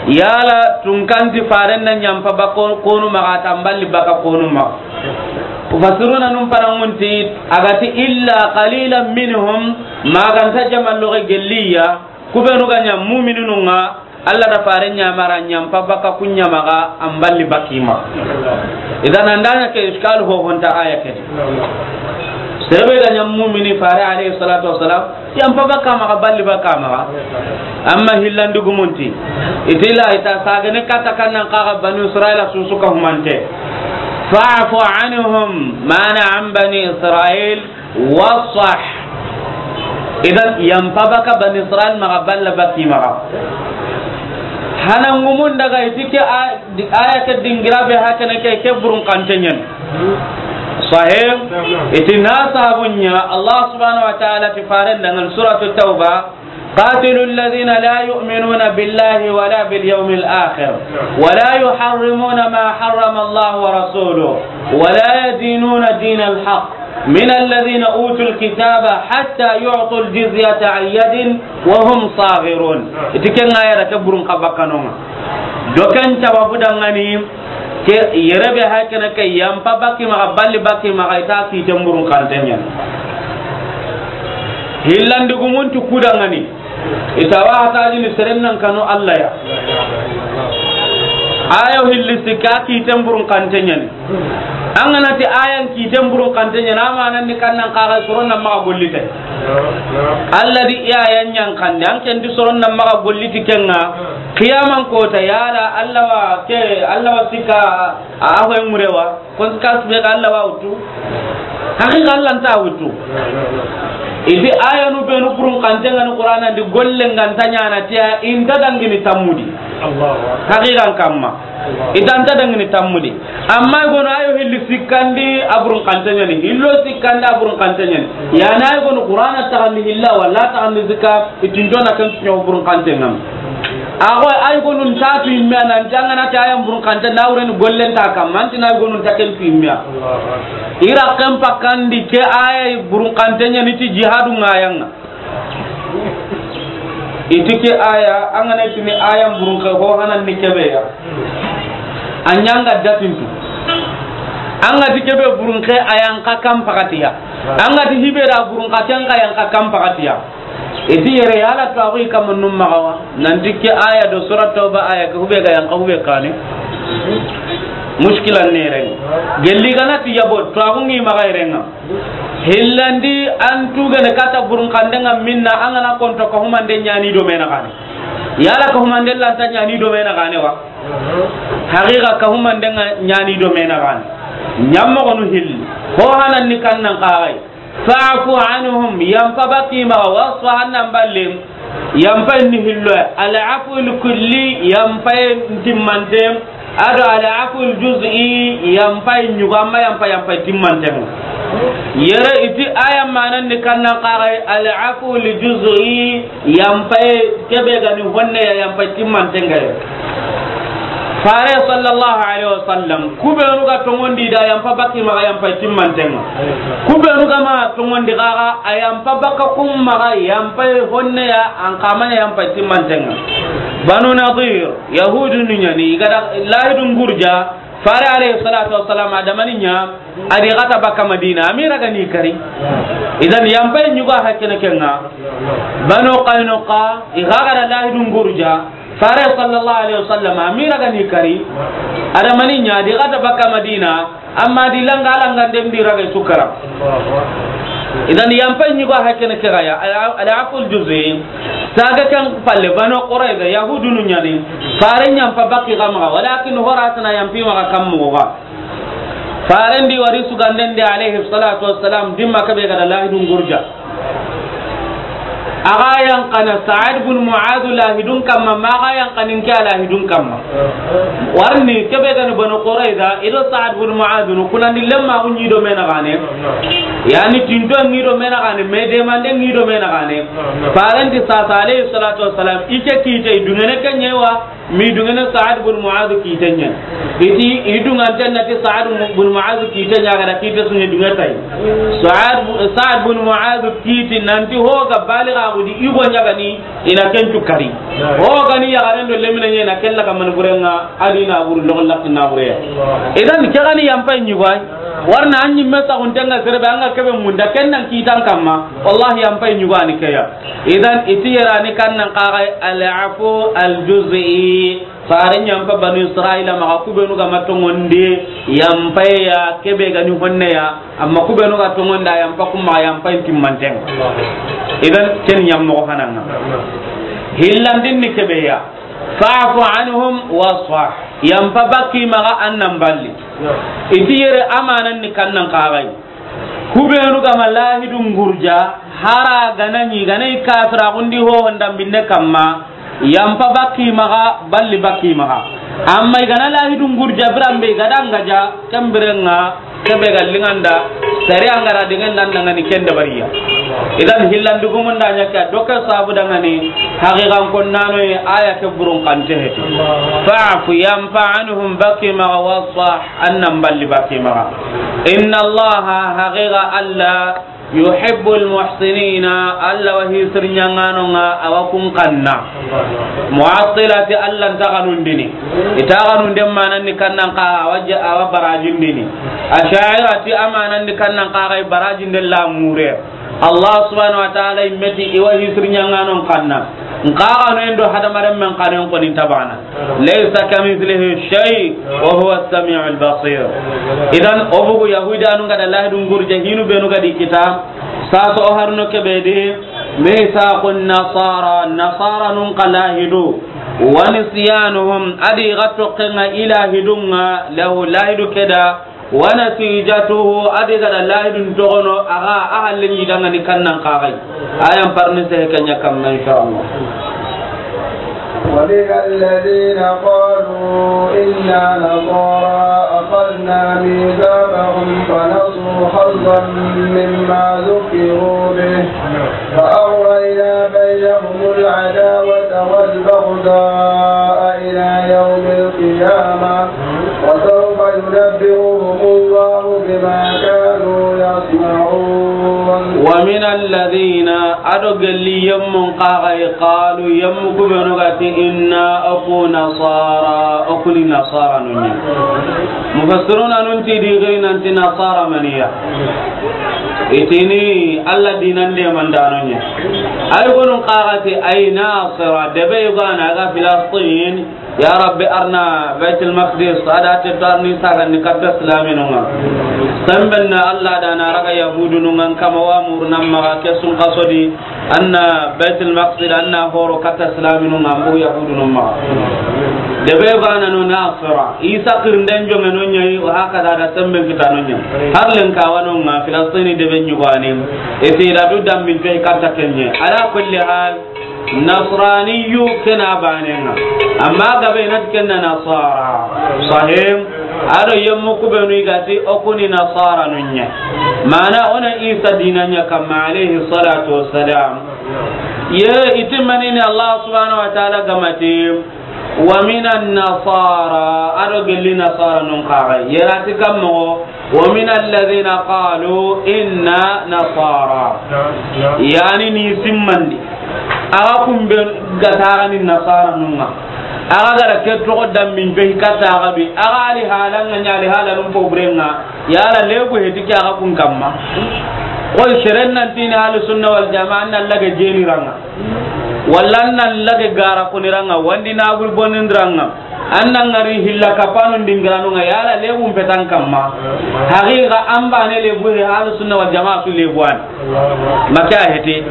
Yala tunkanti faren na ñampa baka konu maxa, tamballi baka konu maxa. Mufassiruna nun panangunti, agati illa qalilan minhum, maganta jamalloxe gelliya, kubenu ga ña mumininu nga, Allah da faren ñamara ñampa baka kunya maxa, an balli baki maxa. Idan andanya ke iskal ho honta aya ke. Sebe ga ña mumini fare alayhi salatu wassalam, yampa baka maxa, balli baka maxa. Amma hillandi gumunti. Itila ita sagane kata kannan kaxa Banu Israila susu ka humante. Fa'fu anhum, mana an Bani Israil, wasfah. Idan yampa baka Bani Israil maxa, balla baki maxa. Hana ngumun daga itike a Di-, aya ke dingira be hakene ke, ke burun kante ñen. Sahih. Iti na sabunya Allah subhanahu wa ta'ala ti faren dangan suratu Tauba, قاتلوا الذين لا يؤمنون بالله ولا باليوم الآخر ولا يحرمون ما حرم الله ورسوله ولا يدينون دين الحق من الذين أوتوا الكتاب حتى يعطوا الجزية عن يد وهم صاغرون. Iti ken aya da ke burun ka bakanonga. Do ken sababu dangani ke yere be hakene ke yampa baki maxa, balli baki maxa, ita kiten burun kante ñen. Hillandi gumuntu kudangani. Ita wa hatajini seren nan kanu Allah ya. Ayo hilli sikka kiten burun kante ñen. An ga na ti ayan kiten burun kante ñen, amanan ni kannan kaxa soron nan maxa gollite. Allah di i ayan ñan kande, an ken di soron nan maxa golliti kenga. Qiyaman kota yala Allah wa ke, Allah wa sikka a, a hoy murewa. Conséquence be ga Allah wa wutu. Haqiqa Allah nta wutu. Iti ayanu benu burun kante ngani Qur'ana di golle nganta ñana tiya inta dangini tammudi. Haqiqan kamma. I ta nta dangini tammu di. Amma i gono ayo hilli sikkandi a burun xante ɲani. Hillo sikkandi a burun xante ɲani. Ya na i gono Qur'ana taxandi hilla walla taxandi sikka, i tinto na ken tuɲo burun xante ŋam. A go ay gonu nta tu imme nan jangana ta yan burun xante na wuren gollen ta kam. Manti na gonu nta ken tu imme. I ra ken pakandi ke aya burun xante ɲani ti jihadu ŋa yan ŋa. I ti ke aya, an ga na tini aya burun ke ho hanan ni kebe ya. An ɲa ŋa datintu. An ga ti kebe burun ke ayan ka kam pakatiya. An ga ti hibe da burun ka ken ka yan ka kam pakatiya. I ti yere yala to agu i kama num maxa wa. Nan ti ke aya do sura Tawba aya ke hube ga yan ka hube kane. Mushkila ne ren. Gelli ga na ti yabo to agu ngi maxa ren ŋa. Hillandi an tugene kata burun xande ŋa minna an ga na konto ka humande ɲani do mena xane. Yala ka humande lanta ɲani do mena xane wa. Haqiqa ka humande ŋa ɲani do mena xane. Ɲammo gonu hilli. Ho hanan ni kannan xaxay. Fa'fu anhum, yampa baki maxa, wasfah, an nan balle. Yampa ni hillo. Al-afwul kulli, yampa timmante. Ado al-afwul juz'i, yampa ɲugo, amma yampa, yampa timmante. Yere i ti aya manan ni kannan xaxay, al-afwul juz'i, yampa kebe ga ni honne ya, yampa timmante ŋa ya. Fare sallallahu alaihi wasallam, kubenu ga tongondi da yampa baki maxa yampa timmante ŋa. Kubenu ga ma tongondi xaxa a yampa baka kum maxa yampa honne ya an kamanya yampa timmante ŋa. Banu Nadir, Yahudu nu ɲani, i ga da lahidun gurja, Fare alayhi salatu wassalam, a da mani ɲa, a di xata baka Madina, a mi raga ni kari. Idan yampa ɲugo hakkene ke ŋa. Banu Qaynuqa, i ga ga da lahidun gurja, Fare sallallahu alaihi wasallam, a mi raga ni kari. A da mani ɲa, a di xata baka Madina, amma di langa, langa den di raga sukara. Idan yampa ɲugo hakkene ke ga ya, al-, al-afwul juz'i, saga kan palle Banu Qurayza, Yahudu nu ɲani, Fare yampa baki ga maxa, walakin horatana yampi maxa kam moxo ga. Faren di wari suganden di alayhi salatu wassalam, dimma kebe ga da lahidun gurja. A ga yan kana Sa'ad bin Mu'adh lahidun kamma, ma ga yan kanin ke lahidun kamma. Warni kebe ga ni Banu Qurayza, i do Sa'ad bin Mu'adh nu kunandi lemma ku ɲi do mena xane. Yani tinto ɲi do mena xane, me demande ɲi do mena xane. Faren di sasa alayhi salatu wassalam, i ke kite i dungene ke ɲewa, mi dungene Sa'ad bin Mu'adh kite ɲa. I ti, i dunganten na ti Sa'ad bin Mu'adh kite ɲa ga da kite su ɲa dunge tay. Sa'ad, Sa'ad bin Mu'adh kiti nan ti ho ga baliga gudi i go ɲa ga ni i na ken tu kari. Ho ga ni yaxaren do lemine ɲa na kella ga man burenga a di na buru logo lakki na bure. Idan ke ga ni yampa ɲugo ay. Warna an ɲimme saxunten ŋa sere be an ga kebe munda ken nan kitan kamma. Wallahi yampa ɲugo a ni ke ya. Idan i ti yere a ni kannan xaxay al-afwu al-juz'i. Fare yampa Banu Israila maxa kubenu ga ma tongondi yampa ya kebe ga ni honne ya, amma kubenu ga tongondi a yampa kuma yampa timmante ŋa. Idan ken ɲammo hanan ŋa. Hillandin ni kebe ya. Fa'fu anhum wasfah. Yampa baki maxa an nan balli. I ti yere amanan ni kannan xaxay. Kubenu ga ma lahidun gurja, hara ga na ɲi, ga na i kafira gundi ho honda binne kamma, yampa baki maxa, balli baki maxa. Amma i ga na lahidun gurja biran be i ga da ŋa ja, ken biren ŋa, kebe ga linganda, sari an ga ra dingen nan dangani ken dabariya. Idan hillandugumun da ɲa ke, doke sabu dangani, haqiqan konnano ye, aya ke burun xante heti. Fa'fu, yampa anhum baki maxa, wasfah, an nan balli baki maxa. Inna Allaha, haqiqa Alla, yuhibbul muhsinina, Alla wa hisir ɲangano ŋa, a wa kun kanna. Mu'attila ti Alla nta xanundini. I ta xanunden manan ni kannan xa, a wa ja-, a wa barajindini. Asha'ira ti amanan ni kannan xa, a ga i barajinden la mure. Allah subhanahu wa ta'ala i me ti i wa hisir ɲanganon kanna. Nxa xanoyen do hadamaren men xanoyen koni nta bana. Laysa kamithlihi shay wa huwa as-sami'ul basir. Idan, o bugu Yahudiyanu nga da lahidun gurje hinu benu ga di kita, saso o harno kebe di, mithaqun nasara, nasaranun xa lahidu, wa nisyanuhum, a di ga toxenga i lahidunga, lahu lahidu ke da, wa natijatuhu, a di ga da lahidun toxono, a ga a hallen yi dangani kannan xa ga yi. Ayan parni sehe ke ɲa kamma, insha Allah. ومن الذين قالوا إنا نصارى أخذنا ميثاقهم فنسوا حظا مما ذكروا به فأغرينا بينهم العداوة والبغضاء إلى يوم القيامة وسوف ينبئهم الله بما كانوا يصنعون. ومن الذين, a do gelli yemmun xa ga yi, قالوا, yemmu ku be nu ga ti, إنا, o ku نصارى, o ku ni nasaranun ɲa. Mufassiruna nun ti di giri nan ti nasara maniya. I ti ni Alla diinan deemandaanun ɲa. Ay gonun xa ga ti, أي ناصرة, debe yogo a na ga Filistin, Ya Rabbi, arna Baytul Maqdis, a da te to arni saga ni katta silaminun ŋa. Semben na Alla da na raga Yahudunun ŋa kama wa murnan maxa ke sun kaso di, anna Baytul Maqdis, anna horo katta silaminun ŋa, mbu Yahudunun maxa. Debe bana no nasara, Isa kirnden jonge no ɲa yi, wa haka da da semben kita no ɲa. Har len ka wa no ŋa, Filistini debe ɲugani. Ete da du dambin to katta kenye. Ala kulli hal, Nasraniyu ke na banen ŋa. Amma gabe na ti ken na nasara. Sahih. A do yemmu ku be nu i ga ti o ku ni nasaranun ɲa. Mana o na Isa diinan ɲa kamma alayhi salatu wassalam. Ye i ti mani ni Alla subhanahu wa ta'ala ga ma ti, ومن النصارى, a do gelli nasaranun xa ga yi. Yera ti kammo, ومن الذين قالوا إنا نصارى. Naam, naam. Yani ni simmandi. A ga kun be ga taga ni nasaranun ŋa. A ga ga da ke toxo dambin be katta ga bi. A ga ali halan ŋa ɲa ali halanun pobren ŋa. Yala lebu heti ke a ga kun kamma. Ko seren nan ti ni Ahlus Sunna wal Jamaa nan lage jeni ran ŋa. Walla nan lage gara kuni ran ŋa, wandi na bul bonin ran ŋa. An nan ŋari hilla kapanu dingiranu ŋa, yala lebun petan kamma. Haqiqa an bane lebu he Ahlus Sunna wal Jamaa su lebu an. Maka hete.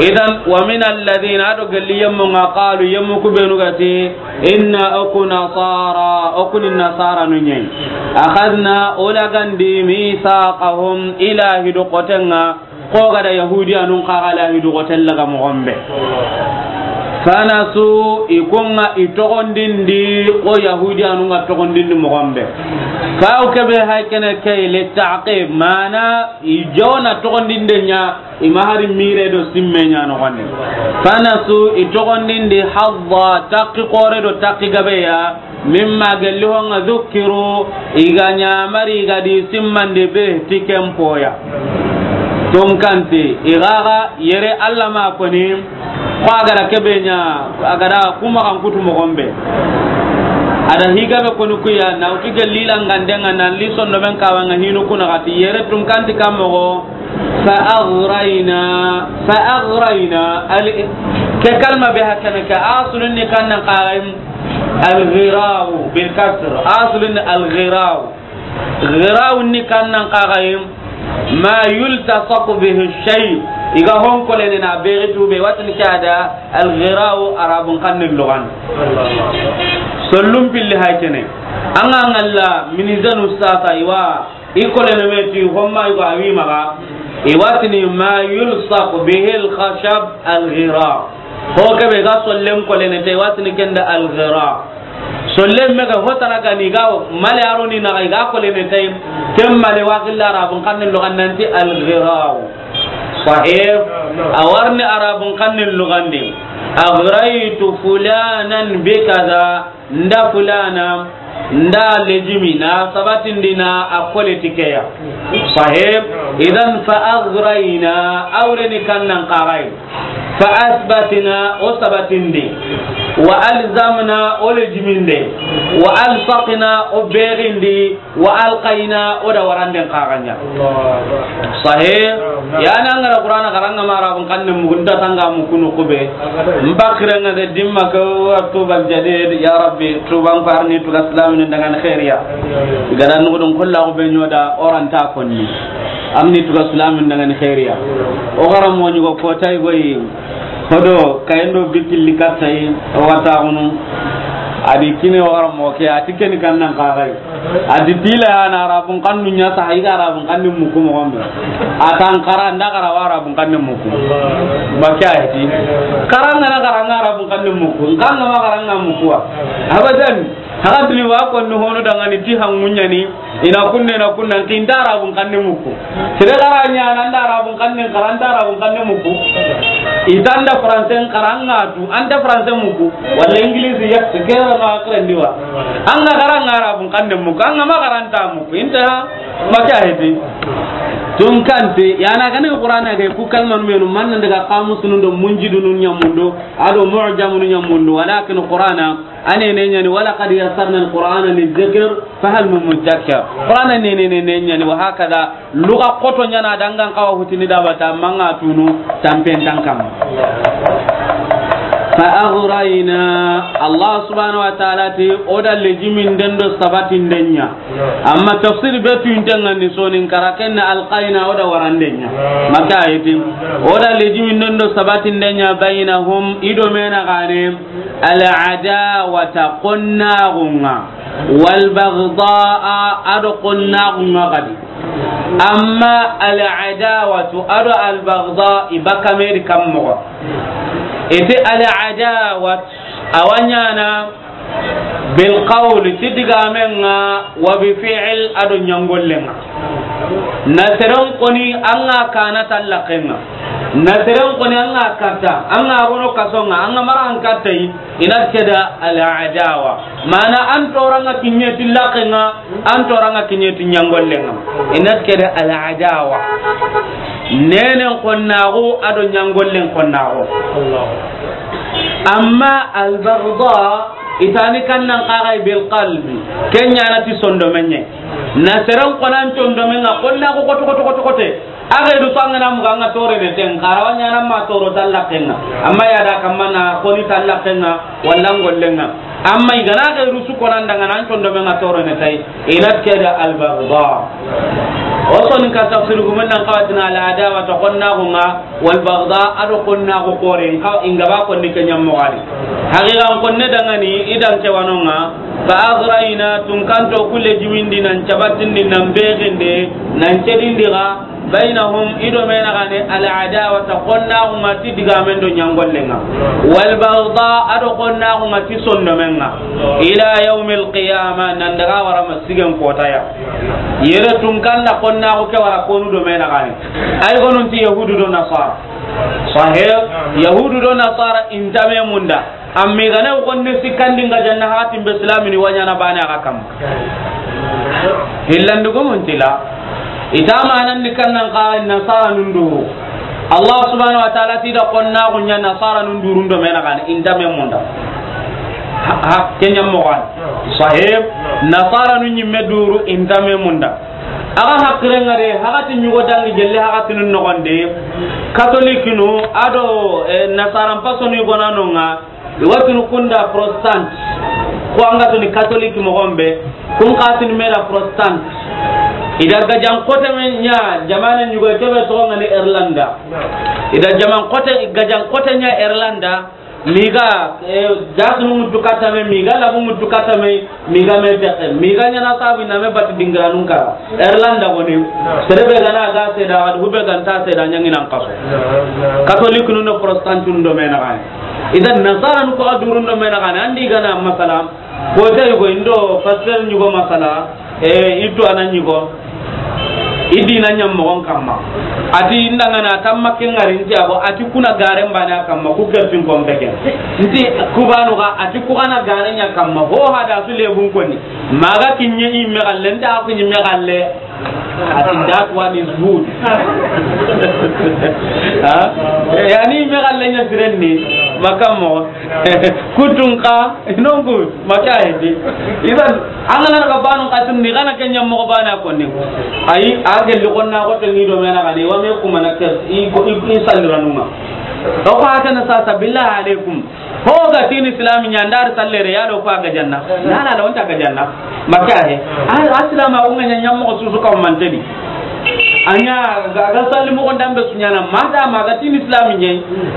Idan, ومن الذين, a do gelli yemmu ŋa, قالوا, yemmu ku be nu ga ti, إنا, o ku نصارى, o ku ni nasaranun ɲa yi. أخذنا, o lagandi, ميثاقهم, i lahidu xoten ŋa, Ko ga da Yahudiyanun xa ga lahidu xoten laga moxon be. فنسوا, i ku ŋa i toxondindi, ko Yahudiyanun ga toxondindi moxon be. Fa o ke be hay kene ke le ta'qib, mana i jona toxondinde ɲa, i ma hari mire do simme ɲa no gani. فنسوا, i toxondindi, حظا, taqi xoore do taqi gabe ya, مما, gelli ho ŋa, ذكروا, i ga ɲamari, i ga di simmandi, به, ti ken po ya. Tunkanti, i ga ga yere Alla ma koni, ko a ga da ke be ɲa, a ga da kuma kan kutu moxon be. A da hi gabe koni ku ya, na wutu gelli la ŋanden ŋa, nan li sonno ben kawa ŋa hinu kuna ga ti yere tunkanti kammo. فأغرينا, فأغرينا, al-, ke kalma be hakana ke, asulun ni kannan qaim, الغراء بالكسر. أصل الغراء. غراء ni kannan qaim ما يلتصق به الشيء. I ga hon kolene na beri tube, watini ke a da الغراء Arabun xannen lugan. Sollun pilli hay kene. An ga ŋalla minizanu sasa i wa I kolene me ti homma yugo a wi maxa, i wa tini ما يلصق به الخشب الغراء. Ho ke be ga sollen kolene te, i wa tini ken da الغراء. Sollen me ga hotana ga ni ga male aro ni na ga i ga kolene te, ken male wa gilla Arabun xannen lugan nan ti الغراء. Sahih. A wa ri Arabun xannen lugan di. أغريت فلانا بكذا. Nda fulana, nda lejimi, na sabatindi na a kole ti ke ya. Sahih. Idan فأغرينا, a wure ni kannan qarai. فأثبتنا, o sabatindi. وألزمنا, o lejiminde. وألصقنا, o berindi. وألقينا, o da waranden qaga ɲa. Allahu Akbar. Sahih. Naam, naam. Ya na ngara Qur'ana karanga ma Arabun xannen mugu nta tanga mu kunu kube. Abadan. Mbakira nga de dimma ko tuban jadid, ya Rabbi, tuban ko arni tuga islamin dangan khairiya. Amin, amin. Gada nugudun kullahu be ɲoda oranta konni. Arni tuga islamin dangan khairiya. O garam mo ɲugo ko tay goyi. Hodo kayendo bikilli kattay o wata unu. A di kine wara mo ke, a ti ken kan nan xaxay. A di tila ya na Arabun xannu ɲa sa, i ga Arabun xannu muku mo gombe. A tan xara nda xara wa Arabun xannu muku. Ba ke a yi ti. Xara nga na xara nga Arabun xannu muku. Nga nga ma xara nga muku wa. Abadan. Haga duni wa ko no hono dangani ti hangunyani. Ina kunne na kunnan kinta Arabun xannu muku. Sere xara ɲa na nda Arabun xannu xara nda Arabun xannu muku. Itanda français xara nga tu, anta français muku. Wala English ya kera na akran diwa. Anga xara nga Arabun xannu muku, anga ma xara nta muku. Inta ma ke a yi ti. Tun kante, ya na gane Qur'ana ke ku kalman menu man nan daga qamusunun do munjidunun ɲamundo, ado mu'jamunun ɲamundo, walakin Qur'ana, a ne ne ɲani, wa laqad yassarna al-Qur'ana lidh-dhikr, fa hal min muddakir. Qur'ana ne ne ne ne ɲani, wa hakada, luga koto ɲana dangan kawa hutini dabata, manga tunu, tampen tankam. Fa aghrayna, Allah subhanahu wa ta'ala ti, o da lejimin den do sabatin den ɲa. Amma tafsir be tu intengani sonin kara ken na alqayna o da waranden ɲa. Maka ayeti. O da lejimin den do sabatin den ɲa bainahum i do mena gane. Al adawata qonnaxunga. Wal bagdaa ado qonnaxunga gadi. Amma al adawatu ado al bagdaa i baka meri kam moxo. Ete al adawat a wa ɲana bil qawli ti digamenga wa bi fi'l ado ɲangollenga. Na seren koni anga kana tallakenga. Na seren koni anga katta, anga rono kasonga, anga mara an katta yi. Ina keda al adawa. Mana an toranga kinye ti lakenga, an toranga kinye ti ɲangollenga. Ina keda al adawa. Nenen konnaxu ado ɲangollen konnaxu. Amma al bagda itani kannan kaxay bil qalbi. Kenya na ti sondomenye. Na seren konan sondomenga konnaxu koto koto koto kote. Axa du sangana muga anga tore ne ten karawa ɲana ma toro tallakenga. Amma ya da kamana koni tallakenga walla ngollenga. Amma igana ga rusu konan daga nan condo menga toro ne tay. Ina keda al bagda. O soni ka tafsir gumen nan kawatina al adawa to konnaxunga wal bagda ado konnaxu kore nka inga ba konni kenya mogari. Haqiqan konne dangani idan ke wanonga. Fa aghrayna tunkanto kulle jimindi nan cabatindi nan begende nan cedindi ga. Bainahum ido mena gane al adawata konnaxunga ti digamen do ɲangollenga. Wal bagda ado konnaxunga ti sondomenga. Ila yawmil qiyama nan daga wara masigen kotaya. Yere tunkanda konnaxu ke wara konu do mena gane. Ay gonun ti yahudu do nasara. Sahih. Yahudu do nasara intame munda. Amma i gana gonne sikkandi nga janna hatin be islamini wa ɲana bane aga kam. Hillandi gomontila. Ita manan ni kannan ka nasara nunduru. Allah subhanahu wa ta'ala ti da konnaxu ɲa nasara nunduru ndo mena kan intame munda. Ha, ha, kenya mogan. Sahib nasara nu ɲimme duru intame munda. Aga hakkirenga de, hagati ɲugo dangi gelle hagati nun nogonde. Katolikinu ado, eh, nasaran pasoni gonanonga. Iwatunu kunda protestant. Ko anga tuni catholic mogombe. Kun katuni mera protestant. Ida gajan kote me nya jamane nyugo kebe to ngani Irlanda. Ida jaman kote gajan kote nya Irlanda. Miga, eh, jasunu mutu katame miga labu mutu katame. Miga me texe, miga ɲana sabu na me bati dingiranun kara. Irlanda goni, serebe gana ga seda, adu hube ganta seda ɲanginan kaso. Catholic nun do protestant nun do mena gani. Idan nasara nu ko adurun do mena gani. Andi gana masala, ko te yugo indo pastor nyugo masala, e, itu anan nyugo. Idina nyam mogon kamma. Ati indangana tamma kengari nti abo, ati kuna garen bana kamma, ku kertin kompeke. Nti kubanu ga, ati ku kana garen nya kamma. Ho hada su lebun koni. Maga kinye imme galle, nta aku nyimme galle. Ati that one is good. Ha? Yani imme galle nya sirenni. Makammo. Kutun ka, nongu, maka hedi. Idan, angana ka banu katun ni kana kenya mo bana konni. Ayi, a gelli konna ko to ni do mena gani, wa me kuma na ke, i ko, i, i salliranuma. To ko hata na sasa, billahi alaikum. Ho ga tini islam nya ndar sallere ya do ko aga janna. Na na la wonta aga janna. Maka he. A, islam a unga nya nyam mo susu ka manteni. A ɲa ga, ga salli moxon dambe su ɲaana, ma da ma ga tini islami ɲe.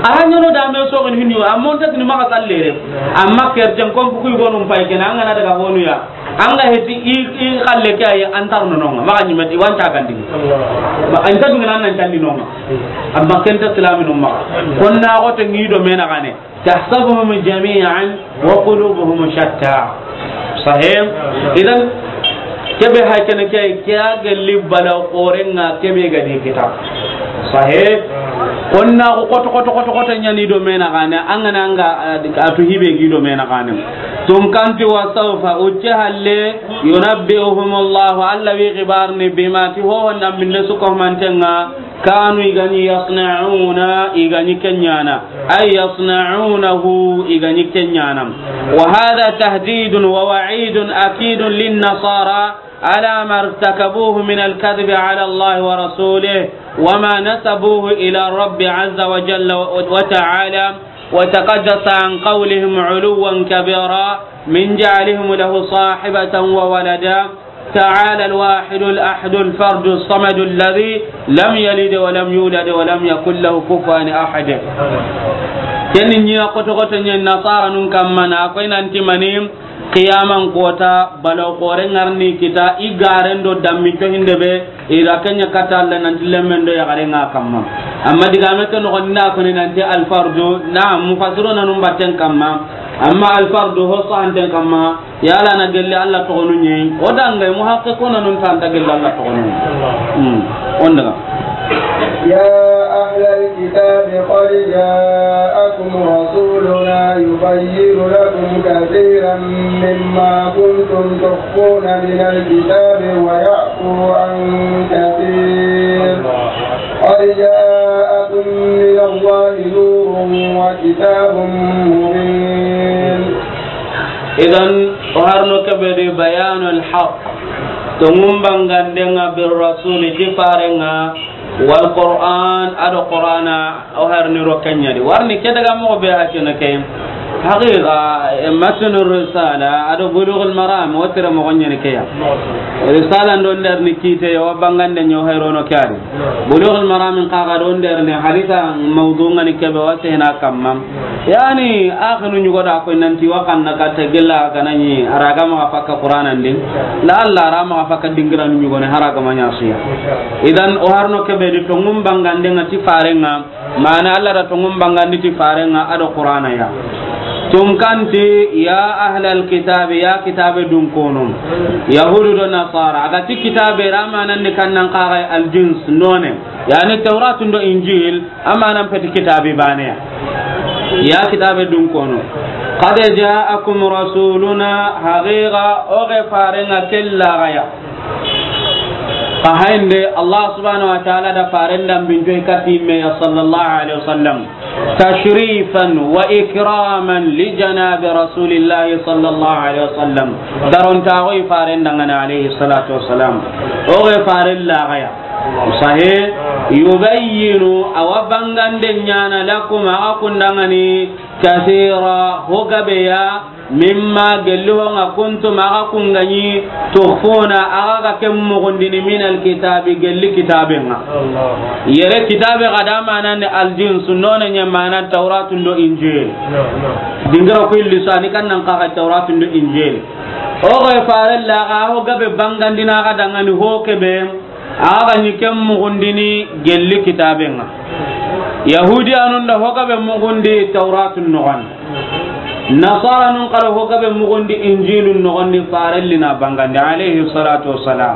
A ha ɲaano dambe soxin hinu, amma o nta tini maxa sallere. Amma kercen kon bugu i gonu pay kena, an ga na daga honu ya. An ga heti i, i xalle ke ayi, an tar no nonga, maxa ɲimeti, wanta gandi. Ba, an ta dungana nan candi nonga. Amma ken ta islami no maxa. Kon na xote ngi do mena gane. تحسبهم جميعا وقلوبهم شتى. Sahih. Idan, kebe hay kene ke, ke a gelli bala xorenga kebe ga di kita. Sahih. Onna ko koto, koto, koto, koto ɲani do mena gane, an ga na an ga, eh, a tu hibe gi do mena gane. Tun kanti wa sawfa, ucce halle, yunabbi'uhumullahu, Alla wi xibarni bima ti ho honda minne su ko mantenga, كانوا i ga ni يصنعون i ga ni ke ɲaana. أي يصنعونه i ga ni ke ɲaana. وهذا تهديد ووعيد أكيد للنصارى على ما ارتكبوه من الكذب على الله ورسوله وما نسبوه إلى الرب عز وجل وتعالى وتقدس عن قولهم علوا كبيرا من جعلهم له صاحبة وولدا تعالى الواحد الأحد الفرد الصمد الذي لم يلد ولم يولد ولم يكن له كفوا أحد. Ken ni ɲa koto koto ɲa nasara nun kamma na ko i nanti mani qiyaman kota bala xore ŋarni kita i garen do dammi to hinde be i da kenya kata Alla nanti lemmen do ya garen ŋa kamma. Amma diga me ke no gonna ko ni nanti al fardu na mufassiruna nun batten kamma. Amma al fardu ho sahanten kamma. Yala na gelli Alla toxonu ɲi, o dangay muhaqqiquna nun ta nta gelli Alla toxonu ɲi. Hmm. On daga. يا أهل الكتاب قد جاءكم رسولنا يبين لكم كثيرا مما كنتم تخفون من الكتاب ويعفو عن كثير. قد جاءكم من الله نور وكتاب مبين. Idan, o harno kebe di bayanul haq. Tongun bangande ŋa bir rasuli ti fare ŋa wal Qur'an ado Qur'ana o harni ro kenya di. Warni ke daga mo be hakina ke. Haqiqa, eh, matnu risala ado bulughul maram o tira mo gonye ne ke ya. Risala ndo nder ni kite o bangande ɲa o hayrono ke ya di. Bulughul maram in kaga do nder ne hadisa mawdu ŋa ni kebe wa sena kamma. Yani, axinu ɲugo da koy nanti wa xanna katta gella ganani, a ra ga maxa fakka Qur'anan di. La Alla ra maxa fakka dingira ɲugo ne, hara ga ma ɲa siya. Idan, o harno kebe di tongun bangande ŋa ti fare ŋa, mana Alla da tongun bangandi ti fare ŋa ado Qur'ana ya. Tun kanti, ya ahlal kitabi, ya kitabe dun kono. Yahudu do nasara, a ga ti kitabe ra manan ni kannan kaga al jins, none. Yani Tawratun do Injil, amanan peti kitabi bane ya. Ya kitabe dun kono. Qad ja'akum rasuluna, haqiqa o ge fare ŋa kella ga ya. Ka hayinde Allah subhanahu wa ta'ala da faren dambinto kati me ya sallallahu alaihi wasallam. Tashrifan wa ikraman li janabi rasulillahi sallallahu alaihi wasallam. Daronta o i faren dangana alaihi salatu wasalam. O ge faren la ga ya. Sahih. Yubayyinu, awa bangande ɲana, lakum, aga kundangani, kathira, ho gabe ya, mimma, gelli ho ŋa, kuntum, aga kungani, tukhfuna, aga ga ken mugundini, min alkitabi, gelli kitabe ŋa. Yere kitabe ga da manan ni aljinsu, none ɲa mana Tawratun do Injil. Dingira ku illisani kannan kaga Tawratun do Injil. O ga fare la ga ho gabe bangandina ga dangani ho kebe. Aga ni ken mugundini gelli kitabe ŋa. Yahudiyanun da ho gabe mugundi Tawratun noxon. Nasaranun kala ho gabe mugundi Injilun noxon di farelli na bangandi alayhi salatu wassalam.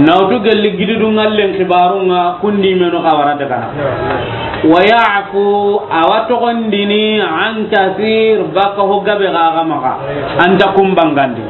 Nawtu gelli gididu ŋallen kibaru ŋa kundi menu xawara daga na. Wa ya'fu, awa togondini, an kathir, baka ho gabe gaga maxa, anta kun bangandi.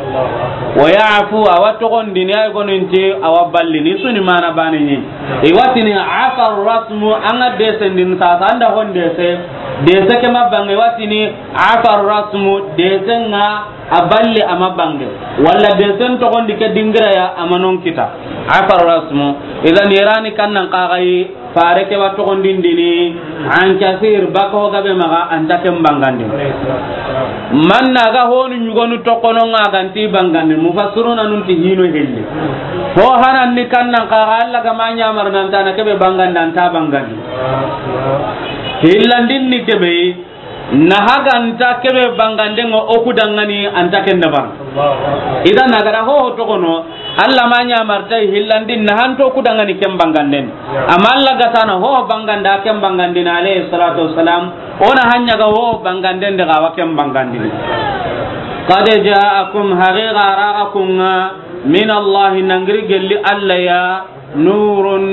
Wa ya'fu, awa togondini, ay goninti, awa ballini, suni mana bane ni. Iwatini, afa rasmu, anga desendin sasa, anda hon dese, dese ke ma bange, iwatini, afa rasmu, dese nga, a balle ama bange. Walla desen togondi ke dingira ya ama non kita. Afa rasmu, idan irani kannan kagayi, Fare ke wa toxondindini, an kasir, baka ho gabe maxa, an ta ken bangandi. Man na ga honu ɲugonu toxono ŋa ga nti bangandi, mufassiruna nun ti hino hilli. Ho hanan ni kannan xa, Alla ga ma ɲamar nan ta na kebe bangandi, an ta bangandi. Hillandin ni kebe, na haganta kebe banganden ŋa o ku dangani an ta ken dabar. Idan na ga da ho ho toxono, Alla ma ɲamarta hillandi na hanto ku dangani ken banganden. Amma Alla ga tana ho banganda ken bangandin alayhi salatu wassalam, o na hanya ga ho banganden daga wa ken bangandin. Qad ja'akum, haqiqa raga kunga, min Allahi, nangiri gelli Alla ya, nurun,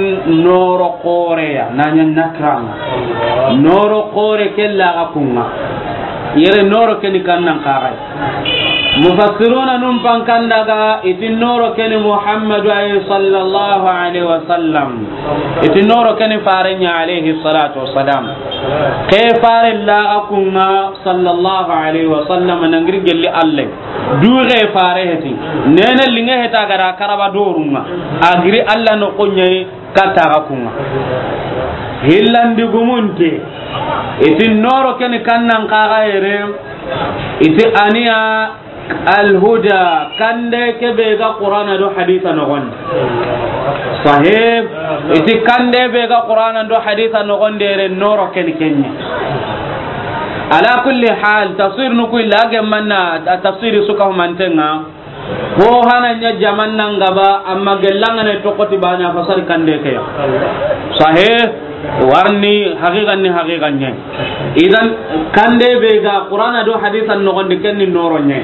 noro xoreya, nanya nakranga. Noro xore kella ga kunga. Yere noro keni kannan kagai. Mufassiruna num pankanda ga iti noro keni Muhammadu ay sallallahu alaihi wasallam. Iti noro keni farenya alaihi salatu wassalam. Ke fare la ga kunga sallallahu alaihi wasallam nangiri gelli Alla. Duxe fare heti. Nene linge heta gara karaba dorunga. Agiri Alla no konyai kataga kunga. Hillandi gumunte. Iti noro keni kannan kaga yere. Iti aniya alhuda kande kebe ga Qur'ana do haditha no gonde. Sahih. Iti kande be ga Qur'ana do haditha no gonde yere noro keni kenya. Ala kulli hal, tafsir nu ku illa ge manna, tafsiri suka mantenga. Ho hana nya jaman nan gaba, amma gellanga ne tokoti bana fasar kande ke ya. Sahih, warni haqiqan ni haqiqan ne. Idan kande be ga Qur'ana do hadisan no gonde kenni noro ne.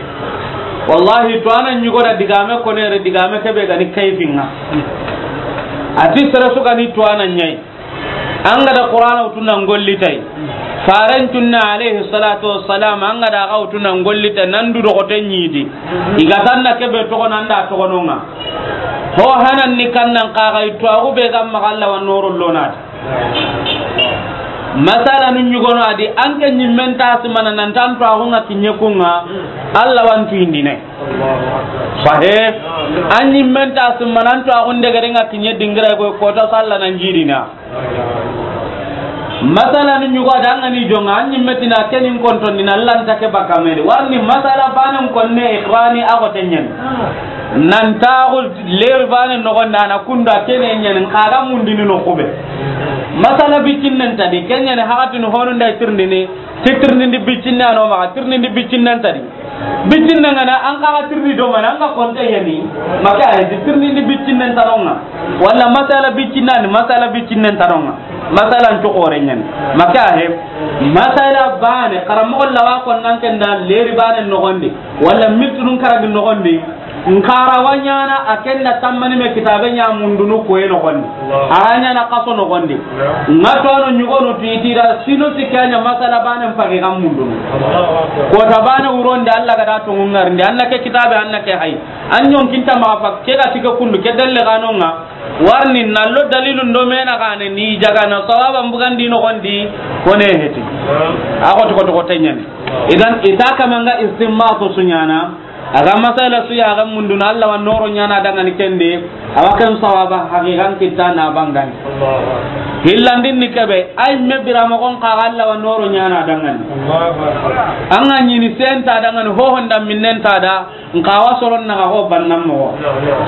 Wallahi to anan yugo da digame ko ne re digame ke be ga ni kayfinga. Ati sere su ga ni to anan nyai. An ga da Qur'ana wutu nan gollitay. Faren tunna alayhi salatu wassalam, an ga da ga wutu nan gollitay, nan du dogote nyidi. Iga tanna kebe togo nan da togo nonga. Ho hanan ni kannan kaga itu agu be gam magalla wa noro lonat. Masala nun yugono adi, an ke nyimmen ta simana nan tan to agu nga kinye kunga, Alla wan tu indine. Sahe, an nyimmen ta simana nan to agu ndegere nga kinye dingira ko kota salla nan jirina. Masala ni ɲugo da ngani jonga, an ɲimme tina kenin konton ni na lanta ke baka meri. Warni masala banan konne iqrani ago tenyen. Nan taxu leri bane nogonda na kunda kene nyen kaga mundini no kube. Masala bitinnen tadi, kenyen hakatini honu nda tirndini, titirndindi bitinne ano maga, tirndindi bitinnen tadi. Bitinne ngana an kaga tirni do mana an ga konte yani. Maka ay tirni ni bitinne tanonga. Wala masala bitinne ni masala bitinne tanonga. Masala nto kore nyen. Maka he masala bane karamo lawa kon nan kenda leri bane nogondi. Wala mitunun karagi nogondi. Nkara wanyana akenda tammani me kitabe nya mundunu ko e nogondi. Aranya na kaso nogondi. Nga to no nyugo no titira sino sikanya masala bane mpagi ga mundunu. Ko ta bane wuronde Alla ga da to ngarnde, anna ke kitabe, anna ke hay. An yon kinta ma fa ke ga tike kundu ke dalle ga nonga. Warni nallo dalilun do mena gane ni jaga na sawaba mbugandi nogondi kone heti. Ako to ko to ko tenyani. Idan ita kamanga istinbatu sunyana. Aga masala su ya ga munduna Alla wa noro nyana dangani kende, awa ken sawaba haqiqan kitta na bangani. Hillandin ni kebe, ay me bira mo kon ka Alla wa noro nyana dangani. Anga nyini senta dangani ho honda minnenta da, nkawa soron na ho bannan mo.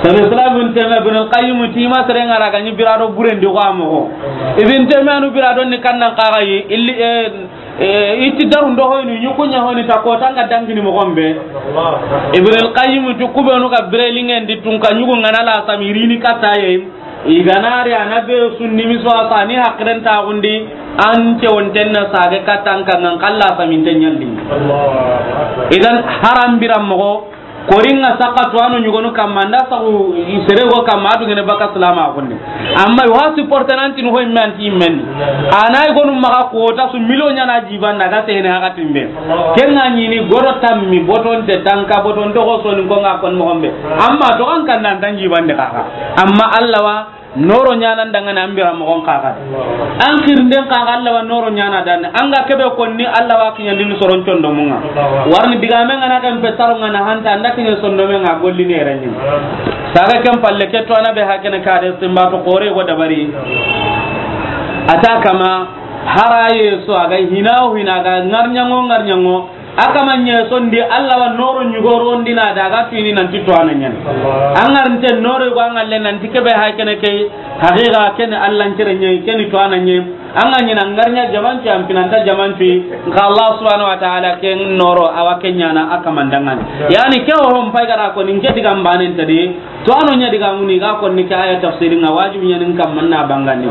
Sabi Islam Ibn Taymiyyah, Ibn al-Qayyim tima sere ngara ga ni bira do burendi wa mo. Ibn Taymiyyah nu bira do ni kannan kaga yi, illi, eh, Eh, iti daru ndo hoyni, ɲukunya hoyni ta ko tanga dangini mo gombe. Ibn al-Qayyim tu kubenu ka birelingen di tun ka ɲugu ngana la samirini kataye. Iganari ana be sunni mi so asani hakren ta gundi an ce wonten na sage katan kan ngan kalla samin tenyandi. Idan haram biram mo Koringa saka to ano ɲugonu kamma, nda sagu sere go kamma, adu gene baka salama kunne. Amma wa supporter nanti no hoy manti men. Anay gonu maga ko ta su million ɲana jiban daga sene hakatimbe. Kenga ɲini goro tammi boton te tanka boton to ko soni ko nga kon mo gombe. Amma to kan kan nan tan jiban de kaka. Amma Alla wa Noro ɲana ndangani an bira mogon kaga. An xirinden kaga Alla wa noro ɲana dan. An ga kebe konni Alla wa kiɲandini soron condomunga. Warni digame ngana kan petaro ngana hanta anda kiɲe sondomenga golli ne renyi. Saga ken palle ke to ana be hakene kade simba to kore go dabari. A ta kama, haraye so a ga hina o hina, a ga ŋarɲaŋo ŋarɲaŋo, a kama ɲe so ndi Alla wa noro ɲugoro ndi na daga tuini nanti to a na ɲani. An ŋarinte noro go an ŋalle nanti kebe hay kene ke, haqiqa kene Alla ncere ɲe, kene to a na ɲe. An ga ɲina ŋarɲa jamancu, an pinanta jamancu, nka Allah subhanahu wa ta'ala ken noro a wa ken ɲana a kaman danŋa ni. Yani ke o hon pay gara ko nin ke digan banen tadi, to a no ɲa diga muni ga ko ni ke aya tafsirin ŋa wajibi ɲa nin kam manna bangani.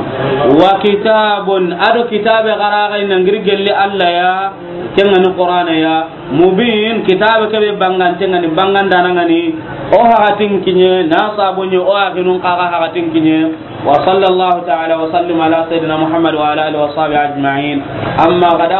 Wa kitabun, ado kitabe gara ga ina ngiri gelli Alla ya, ken ŋa ni Qur'ana ya, mubin, kitabe kebe bangan, ken ŋa ni bangan dana ŋa ni, o hakatin kiɲe, na sabunye, o akinun kaga hakatin kiɲe. وصلى الله تعالى وسلم على سيدنا محمد وعلى آله وصحبه أجمعين. أما بعد،